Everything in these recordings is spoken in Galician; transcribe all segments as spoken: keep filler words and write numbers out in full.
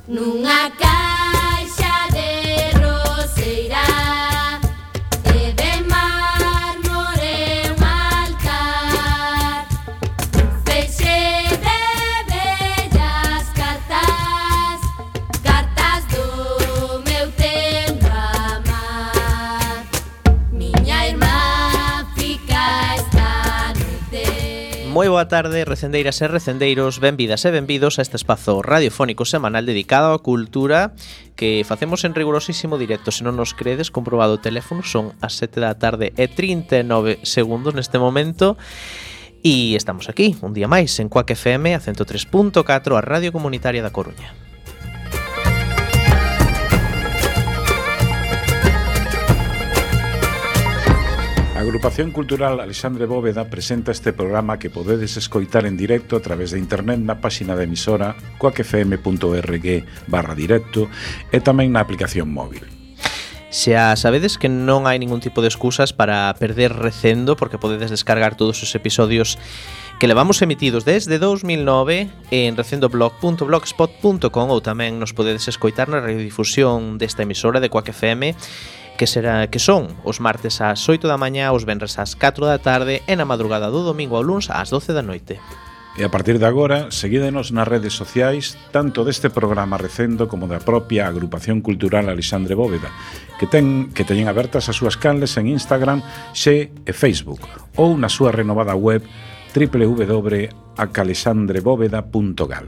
nunha caixa de roseira e de mármore un altar, un feixe de bellas cartas, cartas do meu tempo amar. Miña irmá fica esta noite. Moi boa tarde, recendeiras e recendeiros, benvidas e benvidos a este espazo radiofónico semanal dedicado á cultura que facemos en rigurosísimo directo. Se non nos credes, comprobado o teléfono, son as sete da tarde e trinta e nove segundos neste momento. E estamos aquí, un día máis, en Cuac F M, a ciento tres punto catro, a Radio Comunitaria da Coruña. A Agrupación Cultural Alexandre Bóveda presenta este programa que podedes escoitar en directo a través de internet na páxina da emisora cuacfm.org barra directo e tamén na aplicación móvil. Xa sabedes que non hai ningún tipo de excusas para perder recendo, porque podedes descargar todos os episodios que levamos emitidos desde dous mil nove en recendoblog punto blogspot punto com, ou tamén nos podedes escoitar na radiodifusión desta emisora de Cuac F M, que será que son os martes ás oito da mañá, os venres ás catro da tarde e na madrugada do domingo ao luns ás doce da noite. E a partir de agora, seguídenos nas redes sociais, tanto deste programa Recendo como da propia Agrupación Cultural Alexandre Bóveda, que ten que teñen abertas as súas canles en Instagram, Xe e Facebook, ou na súa renovada web doble u doble u doble u punto a calexandre bóveda punto gal.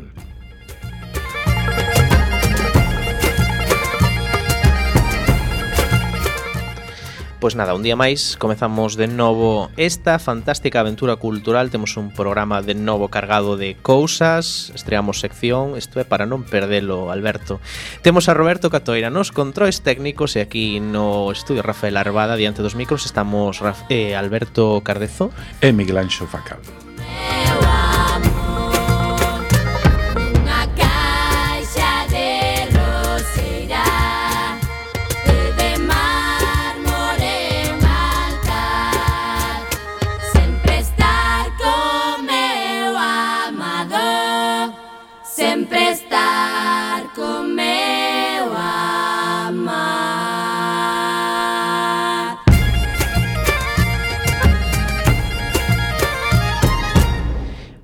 Pois nada, un día máis, comezamos de novo esta fantástica aventura cultural. Temos un programa de novo cargado de cousas, estreamos sección, isto é para non perdelo, Alberto. Temos a Roberto Catoira nos controis técnicos e aquí no estudio Rafael Arbada, diante dos micros, estamos Raf- eh, Alberto Cardezo E Miguel Anxo Facal. Sempre estar con meu amar.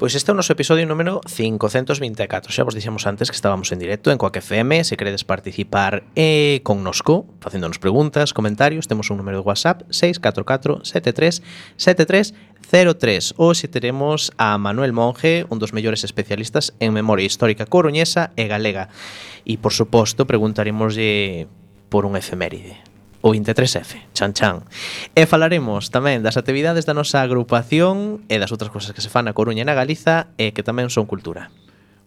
Pois este é o noso episodio número cincocentos vinte e catro. Xa vos dixemos antes que estábamos en directo en Cuac F M. Se queredes participar eh, connosco, facéndonos preguntas, comentarios, temos un número de WhatsApp seis catro catro sete tres sete tres cero tres. Hoxe teremos a Manuel Monge, un dos mellores especialistas en memoria histórica coruñesa e galega. E, por suposto, preguntaremoslle por un efeméride. O vinte e tres F, chan chan. E falaremos tamén das actividades da nosa agrupación e das outras cousas que se fan na Coruña e na Galiza e que tamén son cultura.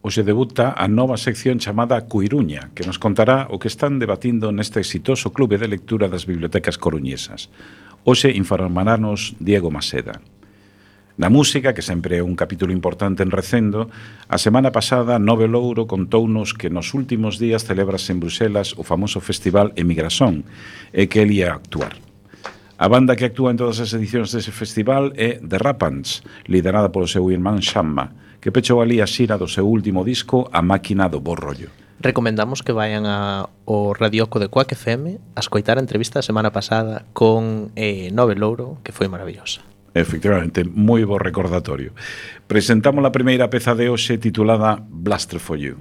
Hoxe debuta a nova sección chamada Cuiruña, que nos contará o que están debatindo neste exitoso clube de lectura das bibliotecas coruñesas. Hoxe informarános Diego Maseda. Na música, que sempre é un capítulo importante en Recendo, a semana pasada Nove Louro contounos que nos últimos días celebrase en Bruxelas o famoso festival Emigrasón e que el ia actuar. A banda que actúa en todas as edicións dese festival é The Rapants, liderada polo seu irmán Xamma, que pechou ali a xira do seu último disco A Máquina do Bo Rollo. Recomendamos que vayan ao radioco de Cuac F M a escoitar a entrevista da semana pasada con eh, Nove Louro, que foi maravillosa. Efectivamente, moi bo recordatorio. Presentamos a primeira peza de hoxe titulada Blaster for You.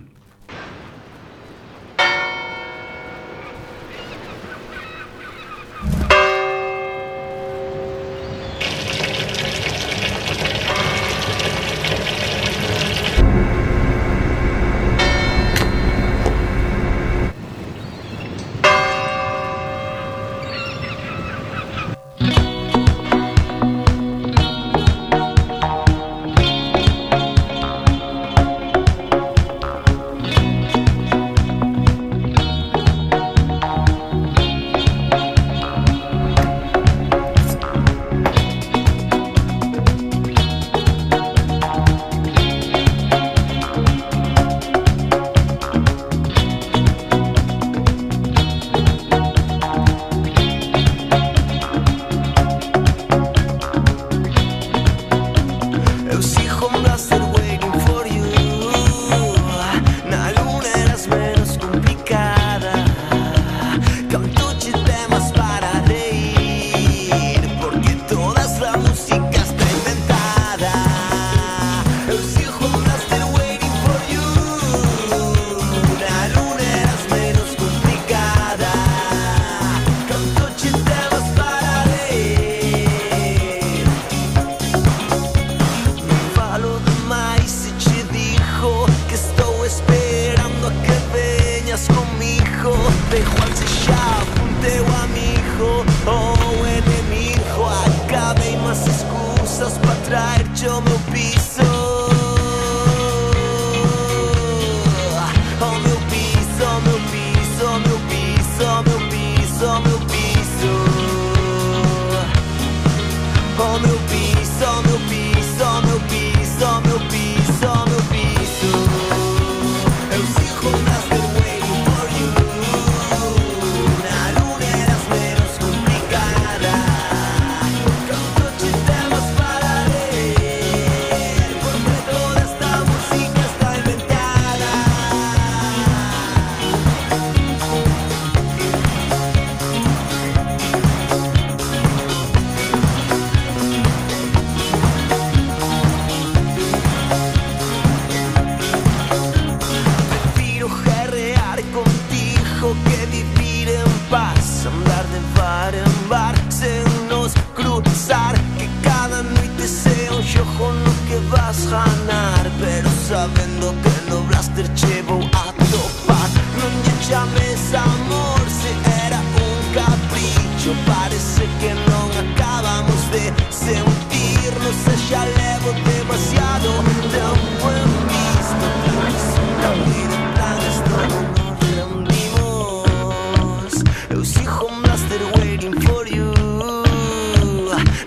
te vou atopar. Non lle chames amor se era un capricho. Parece que non acabamos de sentirnos e xa levo demasiado tempo en visto. Planes unha vida, planes todo nos rendimos. Eu sigo master waiting for you.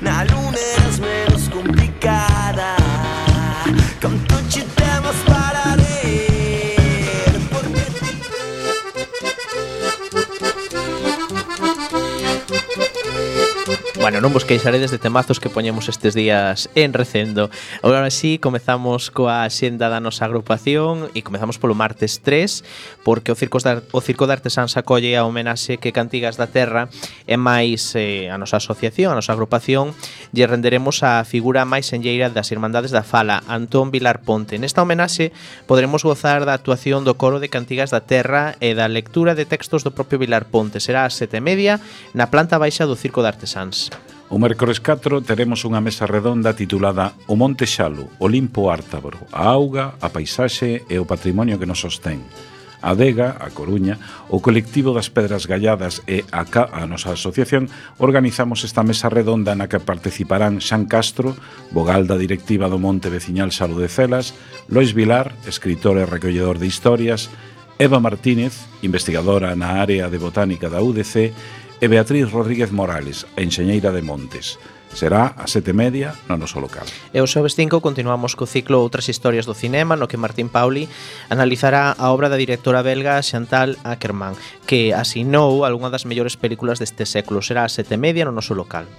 Na luna eras menos complicada. Canto che temas para ler. Porque Bueno, non vos queixaredes de temazos que poñemos estes días en Recendo. Agora sí, comezamos coa xenda da nosa agrupación e comezamos polo martes tres, porque o Circo de, o Circo de Artesáns acolle a homenaxe que Cantigas da Terra e máis eh, a nosa asociación, a nosa agrupación, lle renderemos a figura máis enlleira das Irmandades da Fala, Antón Vilar Ponte. Nesta homenaxe poderemos gozar da actuación do coro de Cantigas da Terra e da lectura de textos do propio Vilar Ponte. Será a sete e media na planta baixa do Circo de Artesáns. O mércores catro teremos unha mesa redonda titulada O Monte Xalo, Olimpo Ártabro, a auga, a paisaxe e o patrimonio que nos sostén. A Adega, a Coruña, o colectivo das Pedras Galladas e a, Ca, a nosa asociación organizamos esta mesa redonda na que participarán Xan Castro, vogal da directiva do Monte Veciñal Xalo de Celas, Lois Vilar, escritor e recolledor de historias, Eva Martínez, investigadora na área de botánica da U D C, e Beatriz Rodríguez Morales, a enxeñeira de Montes. Será a sete e media no noso local. E o xoves cinco continuamos co ciclo Outras historias do cinema, no que Martín Pauli analizará a obra da directora belga Chantal Akerman, que asinou algunha das mellores películas deste século. Será a sete e media no noso local.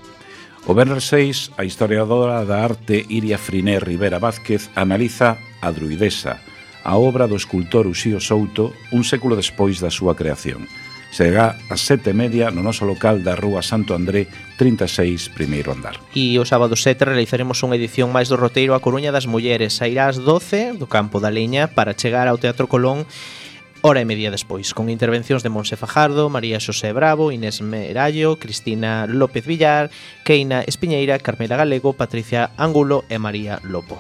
O venres seis, a historiadora da arte Iria Friné Rivera Vázquez analiza A Druidesa, a obra do escultor Uxío Souto un século despois da súa creación. Será a sete e media no noso local da Rúa Santo André trinta e seis, primeiro andar. E o sábado sete realizaremos unha edición máis do roteiro A Coruña das Mulleres. Sairá ás doce do Campo da Leña para chegar ao Teatro Colón hora e media despois, con intervencións de Monse Fajardo, María Xosé Bravo, Inés Merallo, Cristina López Villar, Keina Espiñeira, Carmela Galego, Patricia Angulo e María Lopo.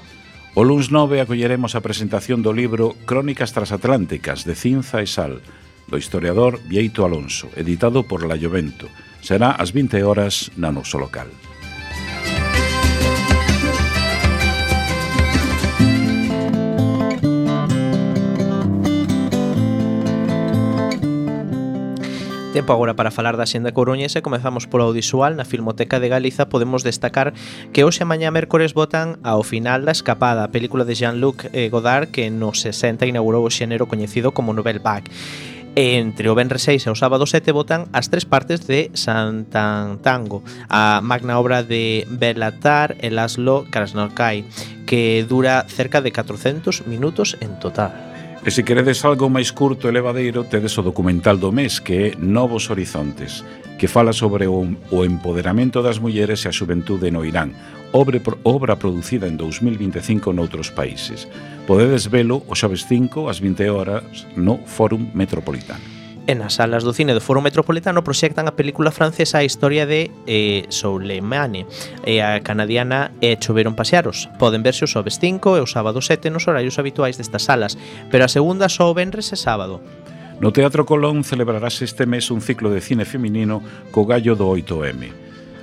O luns nove acolleremos a presentación do libro Crónicas Transatlánticas de Cinza e Sal, do historiador Bieito Alonso, editado por La Llovento. Será ás vinte horas na noso local. Tempo agora para falar da xenda coruñesa. Comezamos polo audiovisual. Na Filmoteca de Galiza podemos destacar que hoxe e mañá mércores botan ao final da Escapada, a película de Jean-Luc Godard que nos sesenta inaugurou o xénero coñecido como Nouvelle Vague. Entre o venres seis e o sábado sete botan as tres partes de Santantango, a magna obra de Belatar e Laszlo Krasznahorkai, que dura cerca de catrocentos minutos en total. E se queredes algo máis curto e levadeiro, tedes o documental do mes, que é Novos Horizontes, que fala sobre o, o empoderamento das mulleres e a xuventude no Irán, obra, obra producida en dous mil vinte e cinco noutros países. Podedes velo o xoves cinco ás vinte horas no Fórum Metropolitano. E nas salas do cine do Foro Metropolitano proxectan a película francesa A historia de eh, Soleimani e a canadiana E choveron pasearos. Poden verse o xoves cinco e o sábado sete nos horarios habituais destas salas, pero a segunda só o venres e sábado. No Teatro Colón celebrarás este mes un ciclo de cine feminino co gallo do oito eme.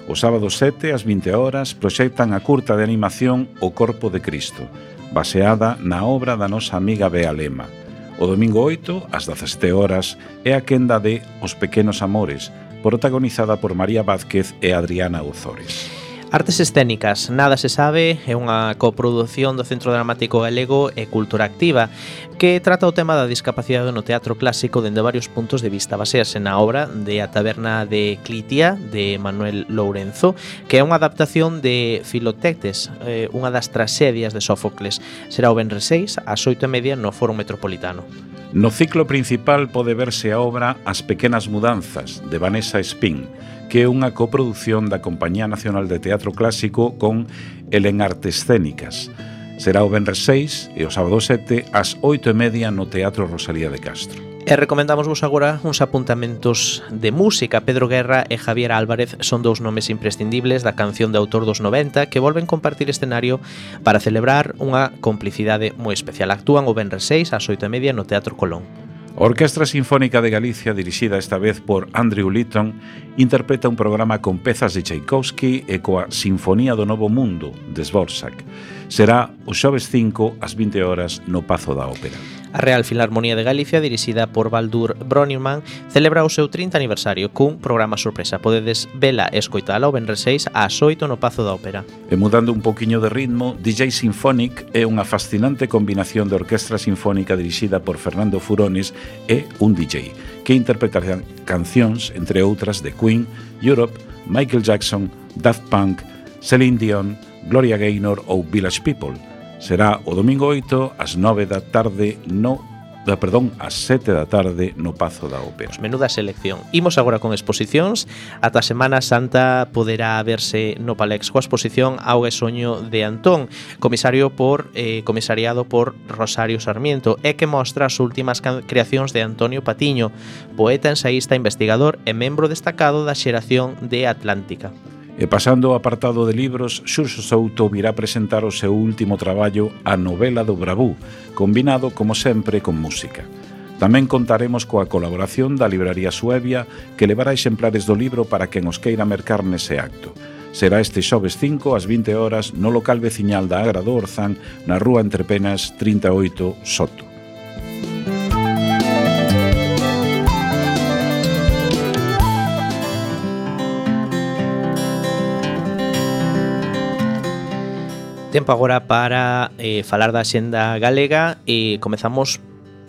O sábado sete ás vinte horas proxectan a curta de animación O Corpo de Cristo, baseada na obra da nosa amiga Bea Lema. O domingo oito, ás dezasete horas, é a quenda de Os Pequenos Amores, protagonizada por María Vázquez e Adriana Ozores. Artes escénicas, Nada se sabe, é unha coprodución do Centro Dramático Galego e Cultura Activa, que trata o tema da discapacidade no teatro clásico dende varios puntos de vista. Basease na obra de A taberna de Clitia, de Manuel Lourenzo, que é unha adaptación de Filoctetes, eh, unha das tragedias de Sófocles. Será o venres seis, ás oito e media, no Foro Metropolitano. No ciclo principal pode verse a obra As pequenas mudanzas, de Vanessa Espín, que é unha coproducción da Compañía Nacional de Teatro Clásico con Elen Artes Escénicas. Será o venres seis e o sábado sete ás oito e media no Teatro Rosalía de Castro. E recomendamos vos agora uns apuntamentos de música. Pedro Guerra e Javier Álvarez son dous nomes imprescindibles da canción de autor dos noventa que volven compartir escenario para celebrar unha complicidade moi especial. Actúan o venres seis ás oito e media no Teatro Colón. A Orquestra Sinfónica de Galicia, dirixida esta vez por Andrew Litton, interpreta un programa con pezas de Tchaikovsky e coa Sinfonía do Novo Mundo, de Dvorak. Será o xoves cinco ás vinte horas no Pazo da Ópera. A Real Filarmonía de Galicia, dirixida por Baldur Brönnimann, celebra o seu trinta aniversario cun programa sorpresa. Podedes vela e escoitala o venres seis ás oito no Pazo da Ópera. E mudando un poquinho de ritmo, D J Symphonic é unha fascinante combinación de orquestra sinfónica dirixida por Fernando Furones e un D J, que interpretará cancións, entre outras, de Queen, Europe, Michael Jackson, Daft Punk, Celine Dion, Gloria Gaynor ou Village People. Será o domingo oito ás nove da tarde no da, perdón, ás sete da tarde no Pazo da Ópera. Menuda selección. Imos agora con exposicións. Ata Semana Santa poderá verse no Palex coa exposición Auga e Soño de Antón, comisario por eh, comisariado por Rosario Sarmiento, e que mostra as últimas creacións de Antonio Patiño, poeta, ensaísta, investigador e membro destacado da xeración de Atlántica. E pasando ao apartado de libros, Xurxo Souto virá presentar o seu último traballo, A novela do Bravú, combinado, como sempre, con música. Tamén contaremos coa colaboración da Libraría Suevia, que levará exemplares do libro para quen os queira mercar nese acto. Será este xoves cinco ás vinte horas no local veciñal da Agra do Orzán, na rúa Entrepenas trinta e oito, Soto. Tempo agora para eh, falar da xenda galega e comezamos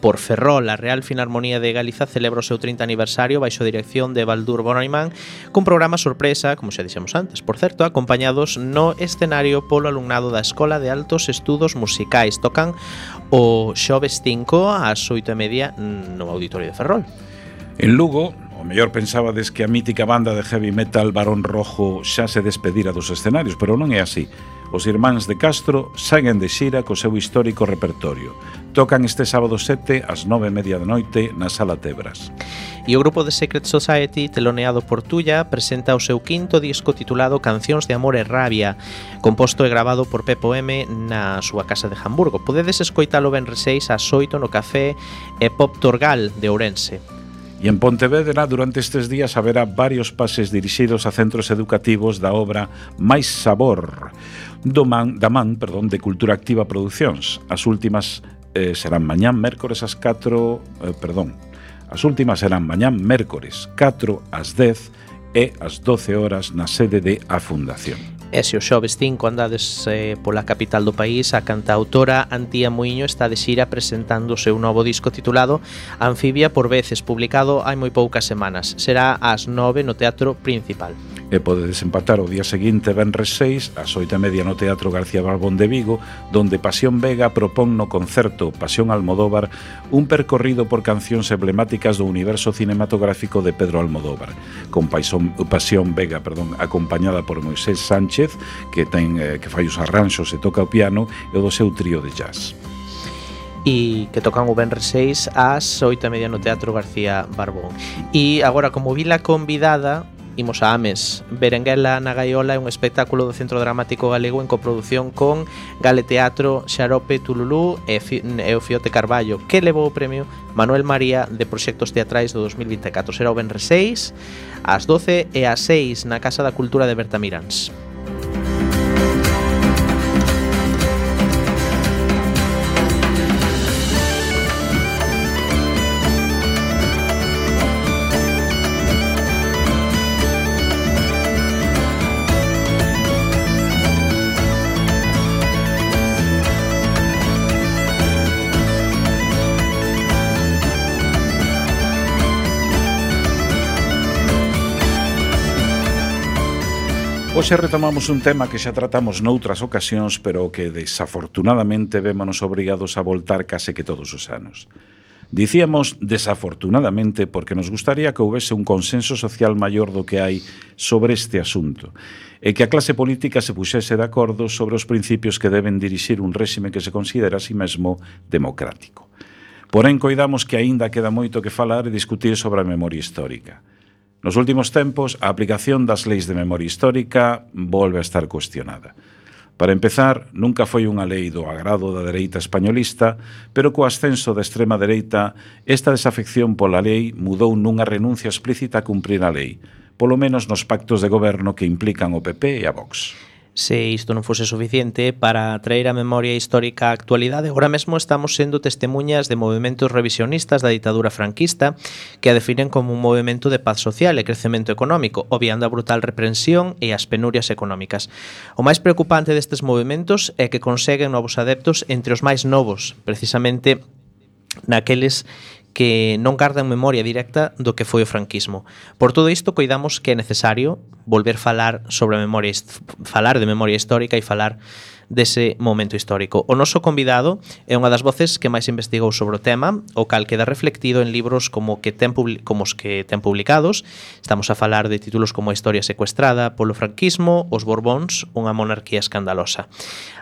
por Ferrol. A Real Filarmonía de Galiza celebra o seu trinta aniversario baixo dirección de Baldur Brönnimann cun programa sorpresa, como xa dixemos antes, por certo, acompañados no escenario polo alumnado da Escola de Altos Estudos Musicais. Tocan o xoves cinco ás oito e media no Auditorio de Ferrol. En Lugo, o mellor pensabades que a mítica banda de heavy metal Barón Rojo xa se despedira dos escenarios, pero non é así. Os irmáns de Castro seguen de xira co seu histórico repertorio. Tocan este sábado sete ás nove e media da noite na Sala Tebras. E o grupo de Secret Society, teloneado por Tulla, presenta o seu quinto disco titulado Cancións de Amor e Rabia, composto e grabado por Pepo M na súa casa de Hamburgo. Podedes escoitalo venres seis ás oito no Café e Pop Torgal de Ourense. E en Pontevedra, durante estes días, haberá varios pases dirixidos a centros educativos da obra Máis Sabor, do man, da man perdón, de Cultura Activa Producións. As últimas eh, serán mañán mércores ás catro, eh, perdón, as últimas serán mañán mércores catro ás dez e ás doce horas na sede de A Fundación. E se o xoves cinco andades eh, pola capital do país, a cantautora Antía Muiño está de xira presentando o seu novo disco titulado Anfibia por veces, publicado hai moi poucas semanas. Será ás nove no Teatro Principal. E podedes empatar o día seguinte, venres seis, ás oito e media no Teatro García Barbón de Vigo, donde Pasión Vega propón no concerto Pasión Almodóvar un percorrido por cancións emblemáticas do universo cinematográfico de Pedro Almodóvar, con Pasión, Pasión Vega, perdón, acompañada por Moisés Sánchez, que ten eh, que fai os arranxos e toca o piano, e o do seu trío de jazz. E que tocan o venres seis ás oito e media no Teatro García Barbón. E agora, como vila convidada, imos a Ames. Berenguela na Gaiola é un espectáculo do Centro Dramático Galego en coproducción con Gale Teatro, Xarope Tululú e, e o Fiote Carballo, que levou o premio Manuel María de Proxectos Teatrais do dos mil vinte e catro. Será o venres seis ás doce e ás seis na Casa da Cultura de Bertamiráns. Hoxe retomamos un tema que xa tratamos noutras ocasións, pero que desafortunadamente vémonos obrigados a voltar case que todos os anos. Dicíamos desafortunadamente porque nos gustaría que houvese un consenso social maior do que hai sobre este asunto e que a clase política se puxese de acordo sobre os principios que deben dirixir un réxime que se considera a sí mesmo democrático. Porén, coidamos que aínda queda moito que falar e discutir sobre a memoria histórica. Nos últimos tempos, a aplicación das leis de memoria histórica volve a estar cuestionada. Para empezar, nunca foi unha lei do agrado da dereita españolista, pero co ascenso da extrema dereita, esta desafección pola lei mudou nunha renuncia explícita a cumprir a lei, polo menos nos pactos de goberno que implican o P P e a Vox. Se isto non fose suficiente para traer a memoria histórica á actualidade, agora mesmo estamos sendo testemunhas de movementos revisionistas da ditadura franquista que a definen como un movimento de paz social e crecemento económico, obviando a brutal represión e as penurias económicas. O máis preocupante destes movementos é que conseguen novos adeptos entre os máis novos, precisamente naqueles que non gardan memoria directa do que foi o franquismo. Por todo isto, coidamos que é necesario volver falar sobre a memoria, falar de memoria histórica e falar dese momento histórico. O noso convidado é unha das voces que máis investigou sobre o tema, o cal queda reflectido en libros como que ten como os que ten publicados. Estamos a falar de títulos como A historia secuestrada polo franquismo, Os Borbóns, unha monarquía escandalosa,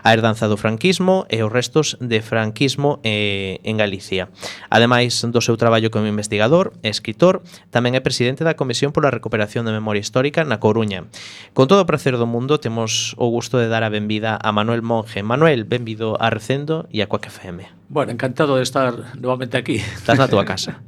A herdanza do franquismo e os restos de franquismo eh, en Galicia. Ademais do seu traballo como investigador e escritor, tamén é presidente da Comisión pola Recuperación da Memoria Histórica na Coruña. Con todo o prazer do mundo, temos o gusto de dar a benvida a Manuel Monge. Manuel, benvido a Recendo e a Coac F M. Bueno, encantado de estar novamente aquí. Estás na túa casa.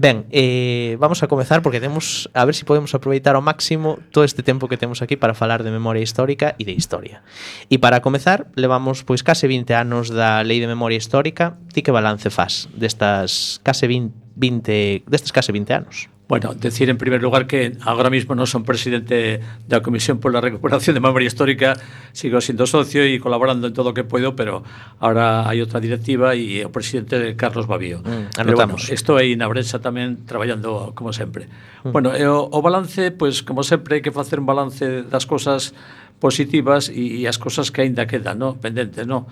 Ben, eh, vamos a comezar porque temos a ver se si podemos aproveitar ao máximo todo este tempo que temos aquí para falar de memoria histórica e de historia. E para comezar, levamos pois case vinte anos da Lei de Memoria Histórica. Ti que balance faz destas case vinte, destes case vinte anos? Bueno, decir en primer lugar que agora mismo non son presidente da Comisión pola Recuperación de Memoria Histórica, sigo sendo socio e colaborando en todo o que podo, pero ahora hai outra directiva e o presidente Carlos Babío. Mm, pero bueno, estou aí na Brensa tamén traballando como sempre. Mm. Bueno, e o, o balance, pois como sempre hai que facer un balance das cosas positivas e, e as cosas que aínda quedan, no, pendentes, no.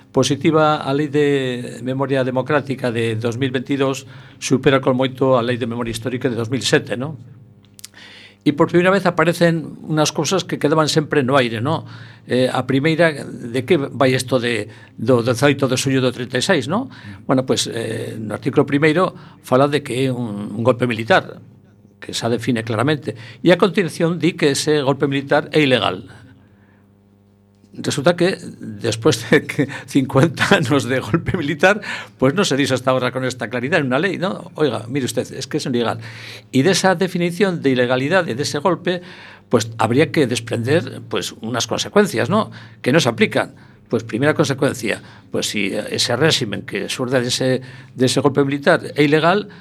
Positiva, a Lei de Memoria Democrática de dos mil veintidós supera con moito a Lei de Memoria Histórica de dos mil sete, ¿no? E por primeira vez aparecen unhas cousas que quedaban sempre no aire, ¿no? Eh, a primeira, de que vai isto de, do dezaoito de xullo do trinta e seis, ¿no? Bueno, pues eh, no artículo primeiro fala de que é un, un golpe militar, que se define claramente, e a continuación di que ese golpe militar é ilegal. Resulta que después de que cincuenta anos de golpe militar, pues no se dice hasta ahora con esta claridad en una ley, ¿no? Oiga, mire usted, es que es ilegal. Y de esa definición de ilegalidad de ese golpe, pues habría que desprender pues unas consecuencias, ¿no? Que no se aplican. Pues primera consecuencia, pues si ese régimen que surge de ese, de ese golpe militar é ilegal,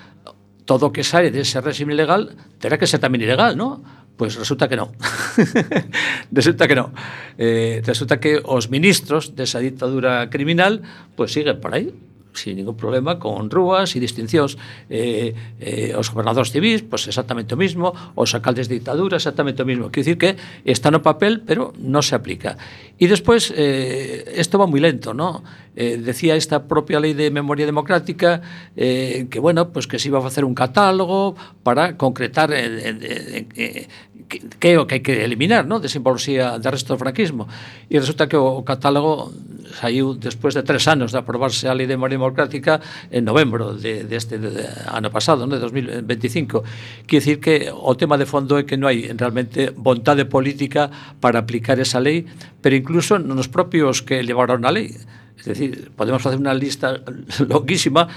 todo que sale de ese régimen ilegal terá que ser tamén ilegal, ¿no? Pues resulta que no. resulta que no. Eh, resulta que os ministros desa dictadura criminal pues siguen por aí, sin ningún problema, con rúas e distincións. Eh, eh, os gobernadores civis, pues exactamente o mismo, os alcaldes de dictadura, exactamente o mismo. Quiero decir que está no papel, pero no se aplica. Y después, eh, esto va muy lento, ¿no? Eh, decía esta propia Lei de Memoria Democrática eh, que, bueno, pues que se iba a facer un catálogo para concretar en, en, en, en, que, que é o que hai que eliminar, ¿no? De simboloxía do resto do franquismo. E resulta que o, o catálogo saiu despois de tres anos de aprobarse a Lei de Memoria Democrática en novembro de, de este de, de, ano pasado, ¿no? De dos mil veinticinco. Quiere decir que o tema de fondo é que non hai realmente vontade política para aplicar esa lei, pero incluso nos propios que levaron a lei. Es decir, podemos facer unha lista longuísima,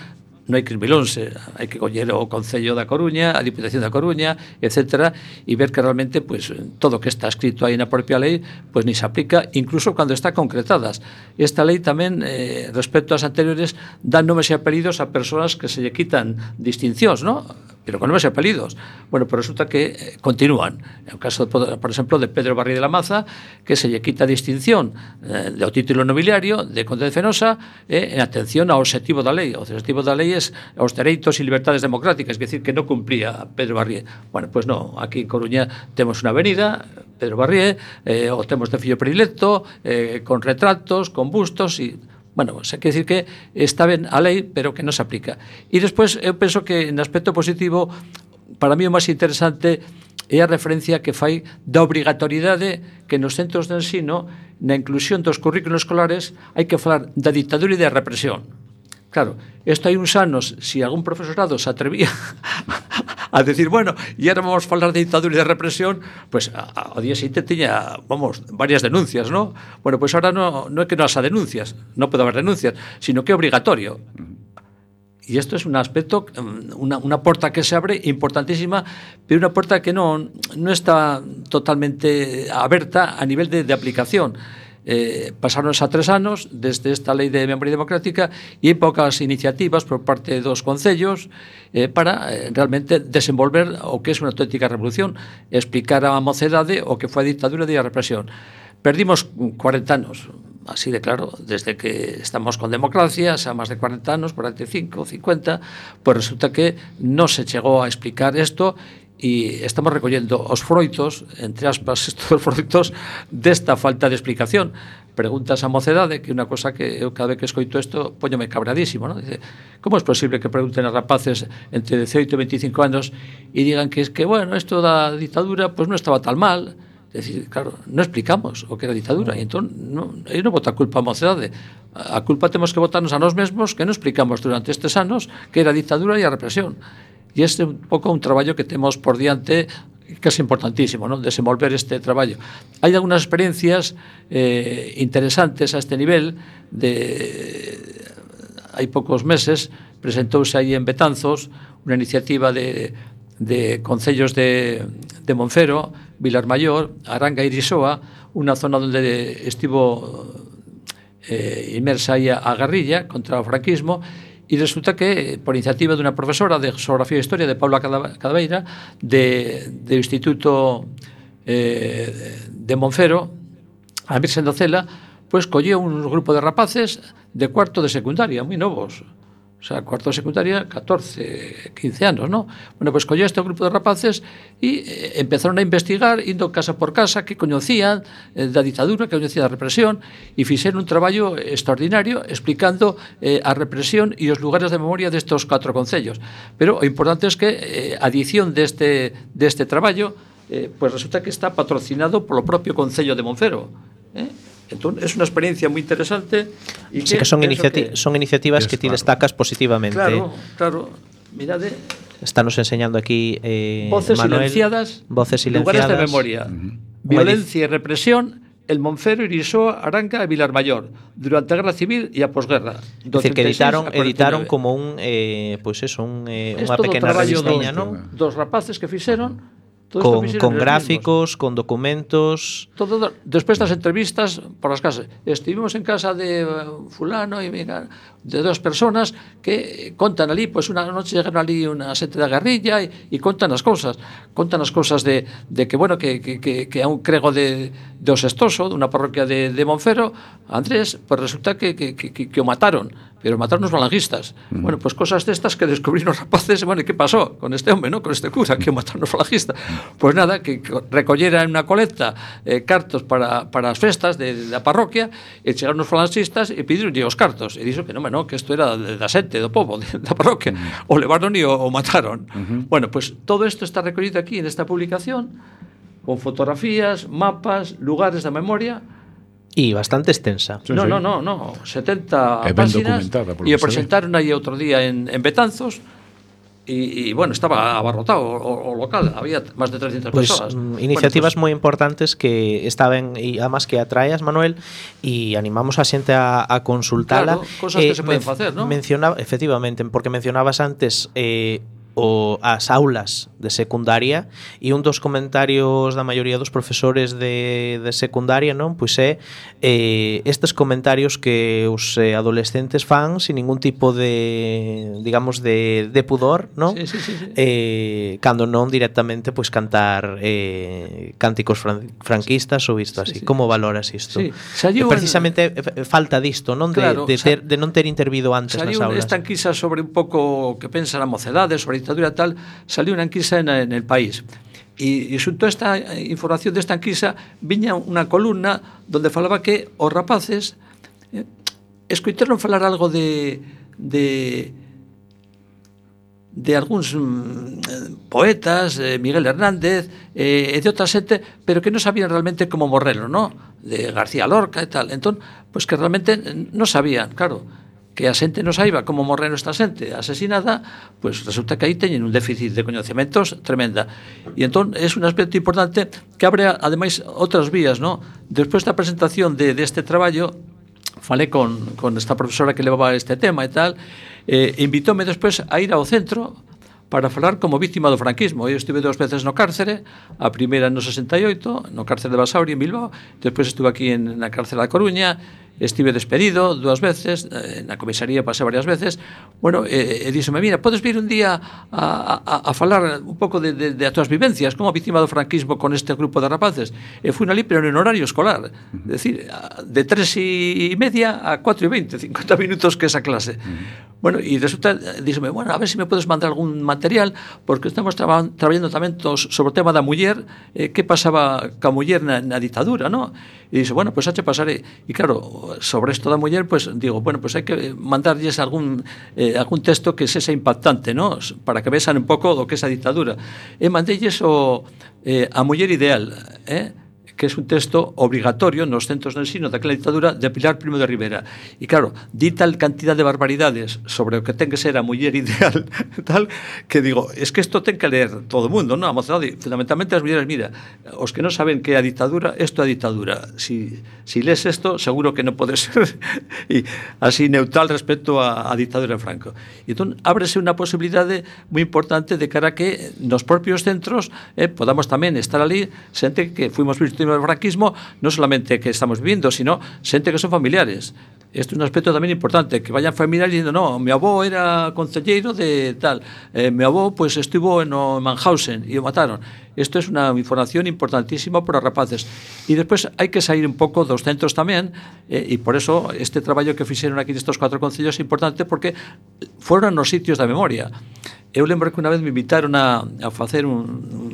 non hai que esmilonse, hai que coller o Concello da Coruña, a Diputación da Coruña, etcétera, e ver que realmente pues, todo o que está escrito aí na propia lei pues, ni se aplica, incluso cando está concretadas. Esta lei tamén, eh, respecto ás anteriores, dá nomes e apelidos a persoas que se lle quitan distincións, ¿no? Pero con nomes e apelidos. Bueno, pero resulta que eh, continúan. En o caso, por exemplo, de Pedro Barri de la Maza, que se lle quita distinción eh, do título nobiliario de Conde de Fenosa eh, en atención ao obxectivo da lei. O obxectivo da lei é os dereitos e libertades democráticas, é dicir, que non cumplía Pedro Barrié. Bueno, pois pues non, aquí en Coruña temos unha avenida, Pedro Barrié, eh, o temos de fillo predilecto, eh, con retratos, con bustos, e bueno, o sea, quer decir que está ben a lei, pero que non se aplica. E despois, eu penso que, en aspecto positivo, para mí o máis interesante é a referencia que fai da obrigatoriedade que nos centros de ensino, na inclusión dos currículos escolares, hai que falar da ditadura e da represión. Claro, esto hai uns anos, si algún profesorado se atrevía a decir, bueno, e ahora vamos a falar de dictadura e de represión, pues ao día seguinte tiña, vamos, varias denuncias, ¿no? Bueno, pues ahora no, no é que non haya denuncias, non pode haber denuncias, sino que é obligatorio. Y esto es un aspecto, una, una puerta que se abre importantísima, pero una puerta que no, no está totalmente abierta a nivel de, de aplicación. Eh, pasaron a tres anos desde esta lei de memoria democrática e hai poucas iniciativas por parte dos concellos eh, para eh, realmente desenvolver o que é unha auténtica revolución, explicar á mocedade o que foi a dictadura e a represión. Perdimos cuarenta anos, así de claro, desde que estamos con democracia, xa máis de cuarenta anos, cuarenta e cinco, cincuenta, pois resulta que non se chegou a explicar isto e estamos recollendo os froitos, entre aspas, estos froitos desta falta de explicación. Preguntas a mocedade, que é unha cosa que eu cada vez que escoito isto poñome cabradísimo, ¿no? Dice, como é posible que pregunten a rapaces entre dezaoito e veinticinco anos e digan que es que, bueno, isto da dictadura pues non estaba tan mal? É dicir, claro, non explicamos o que era a dictadura e entón non, eu non boto a culpa a mocedade, a culpa temos que botarnos a nós mesmos que non explicamos durante estes anos que era a dictadura e a represión. E este é un pouco un traballo que temos por diante que é importantísimo, non? Desenvolver este traballo. Hai algunhas experiencias eh, interesantes a este nivel de hai poucos meses presentouse aí en Betanzos unha iniciativa de, de concellos de, de Monfero, Vilar Maior, Aranga e Irisoa, unha zona onde estivo eh, inmersa aí a guerrilla contra o franquismo. E resulta que, por iniciativa dunha profesora de Geografía e Historia de Paula Cadaveira, de, de Instituto eh, de Monfero, a Virxen da Cela, pois colleu un grupo de rapaces de cuarto de secundaria, moi novos. O sea, cuarto de secundaria, catorce, quince anos, ¿no? Bueno, pois colleu este grupo de rapaces e eh, empezaron a investigar, indo casa por casa, que coñecían eh, da dictadura, que coñecían da represión, e fixeron un traballo extraordinario explicando eh, a represión e os lugares de memoria destos catro concellos. Pero o importante é que eh, a edición deste, deste traballo eh, pues resulta que está patrocinado polo propio Concello de Monfero, eh? Entón, é unha experiencia moi interesante e sí, que, que son, iniciati que... son iniciativas que ti destacas positivamente. Claro, claro, mirade. Estános enseñando aquí eh, Voces Manuel, silenciadas, voces silenciadas, lugares de memoria, uh-huh. Violencia e represión, el Monfero, Irisoa, Aranga e Vilar Maior durante a Guerra Civil e a posguerra. É dicir, que editaron, editaron como un eh, pois pues eso, un, eh, unha pequena revistiña, non? Dos rapaces que fixeron con, con gráficos, mismos. Con documentos. Todo, despois das entrevistas por as casas. Estivemos en casa de fulano e de dos personas que contan ali, pois pues unha noche llegaron ali unha xente da guerrilla e, e contan as cousas. Contan as cousas de, de que, bueno, que, que, que, que a un crego de, de Osestoso, dunha parroquia de, de Monfero, Andrés, pues resulta que, que, que, que o mataron. Pero mataron os falangistas. Uh-huh. Bueno, pues cosas destas que descubriron os rapaces, bueno, ¿qué pasó con este hombre, no? Con este cura que mataron os falangistas. Pues nada, que recollera en unha colecta eh, cartos para, para as festas de, de da parroquia, e chegaron os falangistas e pediron os cartos. E dixo que non, no, que isto era da xente, do povo, de, da parroquia. Uh-huh. O levaron e o, o mataron. Uh-huh. Bueno, pues todo isto está recollido aquí en esta publicación, con fotografías, mapas, lugares da memoria. E bastante extensa. Sí, no, sí. no, no, no, setenta páxinas e o presentaron aí outro día en, en Betanzos e, e, bueno, estaba abarrotado o, o local, había máis de trescientas pues, persoas. Iniciativas bueno, pues, moi importantes que estaban, e además que atraías, Manuel, e animamos a xente a, a consultala. Claro, cosas eh, que se poden facer, ¿no? Mencionaba, efectivamente, porque mencionabas antes eh, o as aulas de secundaria e un dos comentarios da maioría dos profesores de, de secundaria, non? Pois é eh, estes comentarios que os eh, adolescentes fan sin ningún tipo de, digamos, de, de pudor, non? Sí, sí, sí, sí. Eh, cando non directamente pois cantar eh, cánticos fran, franquistas ou isto así. Sí, sí. Como valoras isto? Sí. Eh, precisamente en... falta disto, non? Claro, de, de, ter, de non ter intervido antes nas aulas. Esta enquisa sobre un pouco que pensa a mocedade, sobre a dictadura tal, saliu unha enquisa en, en el país. E, e xunto esta información desta enquisa viña unha columna donde falaba que os rapaces eh, escoitaron falar algo de de de algúns mm, poetas, eh, Miguel Hernández eh, e de outra xente, pero que non sabían realmente como morrelo, ¿no? De García Lorca e tal. Entón, pois pues que realmente non sabían, claro, que a xente non saiba como morreu esta xente asesinada, pois pues resulta que aí teñen un déficit de coñecementos tremenda. E entón é un aspecto importante que abre ademais outras vías, ¿no? Despois da presentación de deste de traballo, falei con, con esta profesora que levaba este tema e tal, eh, invitóme despois a ir ao centro para falar como víctima do franquismo. Eu estive dúas veces no cárcere, a primeira no sesenta e oito, no cárcere de Basauri, en Bilbao, despois estuve aquí en, na cárcere da Coruña, estive despedido dúas veces, eh, na comisaría pasé varias veces, bueno, e, e díxome, mira, podes vir un día a, a, a falar un pouco de, de, de as túas vivencias como víctima do franquismo con este grupo de rapaces. E fui ali, pero en horario escolar, é dicir, de tres e media a cuatro e veinte, cincuenta minutos que esa clase. Bueno, e resulta, díxome, bueno, a ver se me podes mandar algún material, porque estamos traba, traballando tamén tos, sobre o tema da muller, eh, que pasaba ca muller na, na ditadura, ¿no? E dixe, bueno, pois pues, xa che pasaré. E claro, sobre isto da muller, pois pues, digo, bueno, pois pues hai que mandarlles algún eh, algún texto que sexa impactante, ¿no? Para que vexan un pouco do que é esa ditadura. E mandelles o eh, a muller ideal, eh? que é un texto obrigatorio nos centros de ensino daquela ditadura de Pilar Primo de Rivera. E claro, di tal cantidad de barbaridades sobre o que ten que ser a muller ideal, tal, que digo, es que isto ten que ler todo o mundo, non? A mocedade, fundamentalmente as mulleres, mira, os que non saben que é a ditadura, isto é a ditadura. Si, si lees isto, seguro que non pode ser e así neutral respecto a, a ditadura de Franco. E entón, ábrese unha posibilidade moi importante de cara a que nos propios centros eh, podamos tamén estar ali, xente que fuimos víctimas do franquismo, non solamente que estamos vivindo, sino xente que son familiares. Isto é un aspecto tamén importante, que vayan familiares dicindo, no, mi avó era concelleiro de tal, eh, mi avó pues estivo no Mannhausen e o mataron. Isto é unha información importantísima para os rapaces. E despois hai que sair un pouco dos centros tamén, eh, e por eso este traballo que fixeron aquí nestes cuatro concellos é importante, porque foron nos sitios da memoria. Eu lembro que unha vez me invitaron a, a facer un, un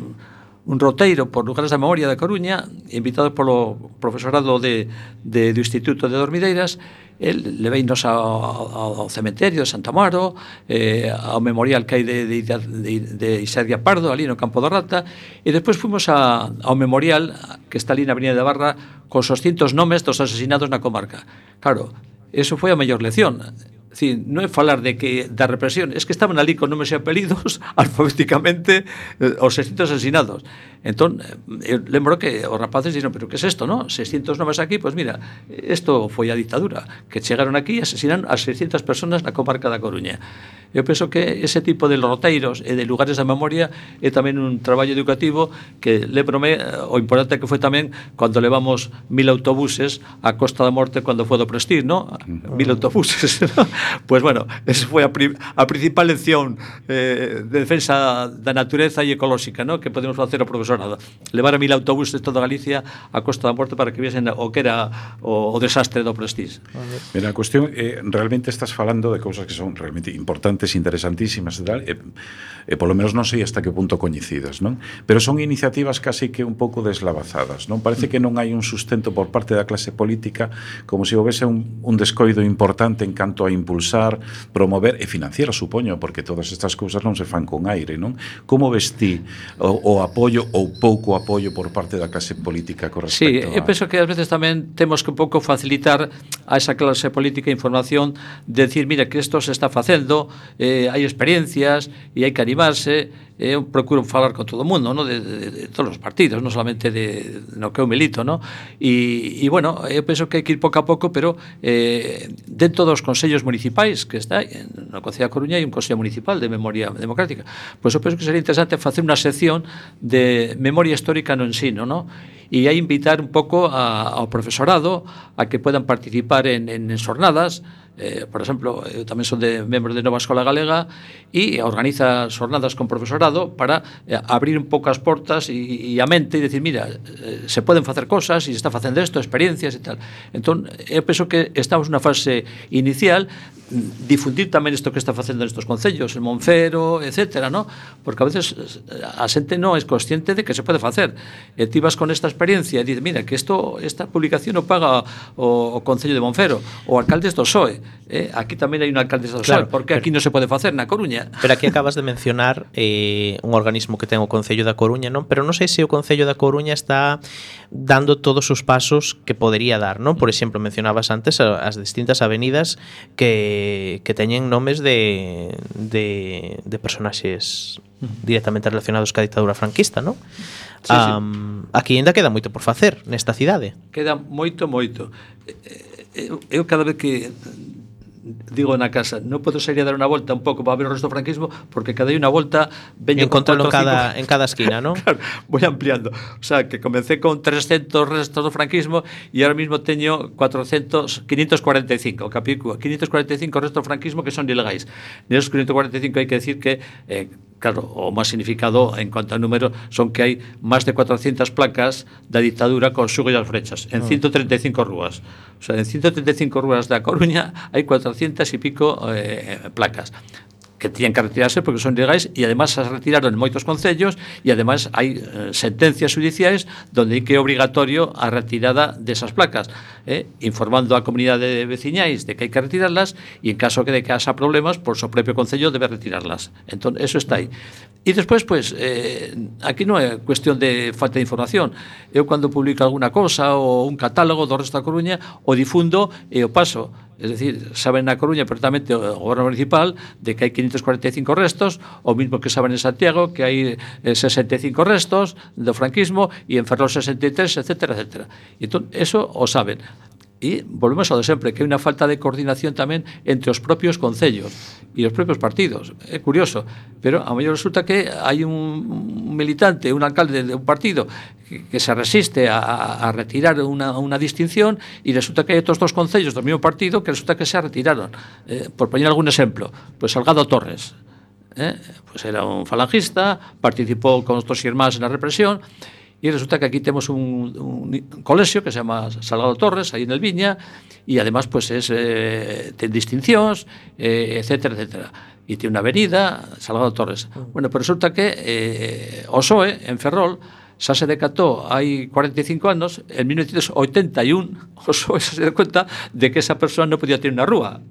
un roteiro por lugares da memoria da Coruña, invitado polo profesorado de, de, do Instituto de Dormideiras. El leveinos ao, ao cementerio de Santa Amaro, eh, ao memorial que hai de, de, de, de Isedia Pardo, ali no Campo da Rata, e despois fomos a, ao memorial que está ali na Avenida de Barra con os cientos nomes dos asesinados na comarca. Claro, eso foi a mellor lección. Sí, non é falar de que da represión, es que estaban ali con nomes e apelidos alfabéticamente eh, os seiscientos asesinados. Entón, eu lembro que os rapaces dixeron, pero que é isto, non? seiscientos nomes aquí, pois pues mira, isto foi a ditadura, que chegaron aquí e asesinaron a seiscientas personas na comarca da Coruña. Eu penso que ese tipo de roteiros e de lugares da memoria é tamén un traballo educativo que lembrome o importante que foi tamén cando levamos mil autobuses a Costa da Morte cando foi do Prestige, non? Mil autobuses, non? Pois pues bueno, esa foi a, pri a principal lección eh, de defensa da natureza e ecolóxica, ¿no? Que podemos facer ao profesorado. Levar a mil autobuses de toda Galicia a Costa da Morte para que viesen o que era o, o desastre do Prestige. Mira, a cuestión, eh, realmente estás falando de cousas que son realmente importantes, interesantísimas e tal, e, e polo menos non sei hasta que punto coñecidas, non? Pero son iniciativas casi que un pouco deslavazadas, non? Parece que non hai un sustento por parte da clase política, como se houvese un, un descoido importante en canto a impulsar, promover e financiar, supoño, porque todas estas cousas non se fan con aire, non? Como ves ti o, o apoio ou pouco apoio por parte da clase política con respecto sí, a... Sí, eu penso que ás veces tamén temos que un pouco facilitar a esa clase política información de decir, mira, que isto se está facendo, eh, hai experiencias e hai que animarse. Eu procuro falar con todo o mundo, ¿no? de, de, de todos os partidos, non solamente de, de no que eu milito, ¿no? E, e bueno, eu penso que hai que ir pouco a pouco, pero eh, dentro dos consellos municipais que está no Concello da Coruña hai un consello municipal de memoria democrática, pois eu penso que sería interesante facer unha sección de memoria histórica no ensino, ¿no? E aí invitar un pouco a, ao profesorado a que puedan participar en, en, en xornadas. Eh, por exemplo, eu tamén son de membro de Nova Escola Galega e organiza xornadas con profesorado para eh, abrir un pouco as portas e, e a mente e decir, mira, eh, se poden facer cosas e se está facendo isto, experiencias e tal. Entón, eu penso que estamos nunha fase inicial, difundir tamén isto que está facendo nestes concellos, en Monfero, etcétera, ¿no? Porque a veces a xente non é consciente de que se pode facer. E ti vas con esta experiencia e dice, mira, que esto, esta publicación o paga o, o Concello de Monfero, o alcaldes do P S O E. Eh, aquí tamén hai un alcalde do P S O E, claro, porque aquí non se pode facer na Coruña. Pero aquí acabas de mencionar eh, un organismo que ten o Concello da Coruña, non? Pero non sei se o Concello da Coruña está dando todos os pasos que podería dar, non? Por exemplo, mencionabas antes as distintas avenidas que, que teñen nomes de, de, de personaxes directamente relacionados ca ditadura franquista, non? Sí, um, sí. Aquí ainda queda moito por facer nesta cidade. Queda moito, moito. Eu, eu cada vez que digo na casa, non podo sair a dar unha volta un pouco para ver o resto do franquismo, porque cada unha volta veño con en cada, en cada esquina, non? Claro, voy ampliando. O sea, que comencé con trescentos restos do franquismo e ahora mismo teño cuatrocientos, quinientos cuarenta e cinco, capículo, quinientos cuarenta e cinco restos do franquismo que son ilegais. Nesos quinientos cuarenta e cinco hai que decir que eh, claro, o máis significado en cuanto a número son que hai máis de cuatrocientas placas da dictadura con xugo e as flechas en ciento treinta e cinco rúas. O sea, en ciento treinta e cinco rúas da Coruña hai cuatrocientas e pico eh, placas que tiñan que retirarse porque son ilegais e además as retiraron en moitos concellos e además hai eh, sentencias judiciais donde hai que é obrigatorio a retirada desas placas, eh, informando a comunidade de veciñais de que hai que retirarlas e en caso que de que haxa problemas, por o propio concello debe retirarlas. Entón, eso está aí. E despois, pues, eh, aquí non é cuestión de falta de información. Eu cando publico alguna cosa ou un catálogo do resto da Coruña, o difundo e o paso. Es decir, saben na Coruña perfectamente o goberno municipal de que hai quinientos cuarenta e cinco restos, o mismo que saben en Santiago que hai eh, sesenta e cinco restos do franquismo e en Ferrol sesenta e tres, etcétera, etcétera. E entón, eso o saben. E volvemos ao de sempre, que hai unha falta de coordinación tamén entre os propios concellos e os propios partidos. É curioso, pero a mellor resulta que hai un militante, un alcalde de un partido que, que se resiste a, a retirar unha, unha distinción e resulta que hai outros dos concellos do mesmo partido que resulta que se retiraron. Eh, por poñer algún exemplo, pues Salgado Torres, eh, pues era un falangista, participou con os dos irmáns na represión. E resulta que aquí temos un, un colexio que se llama Salgado Torres, aí en el Viña, e además pues es, eh, ten distincións, eh, etcétera, etcétera. E ten unha avenida, Salgado Torres. Bueno, pero resulta que eh, o P S O E, en Ferrol, xa se decatou hai cuarenta e cinco anos, en mil novecientos oitenta e un, o P S O E xa se deu conta de que esa persoa non podía ter unha rúa.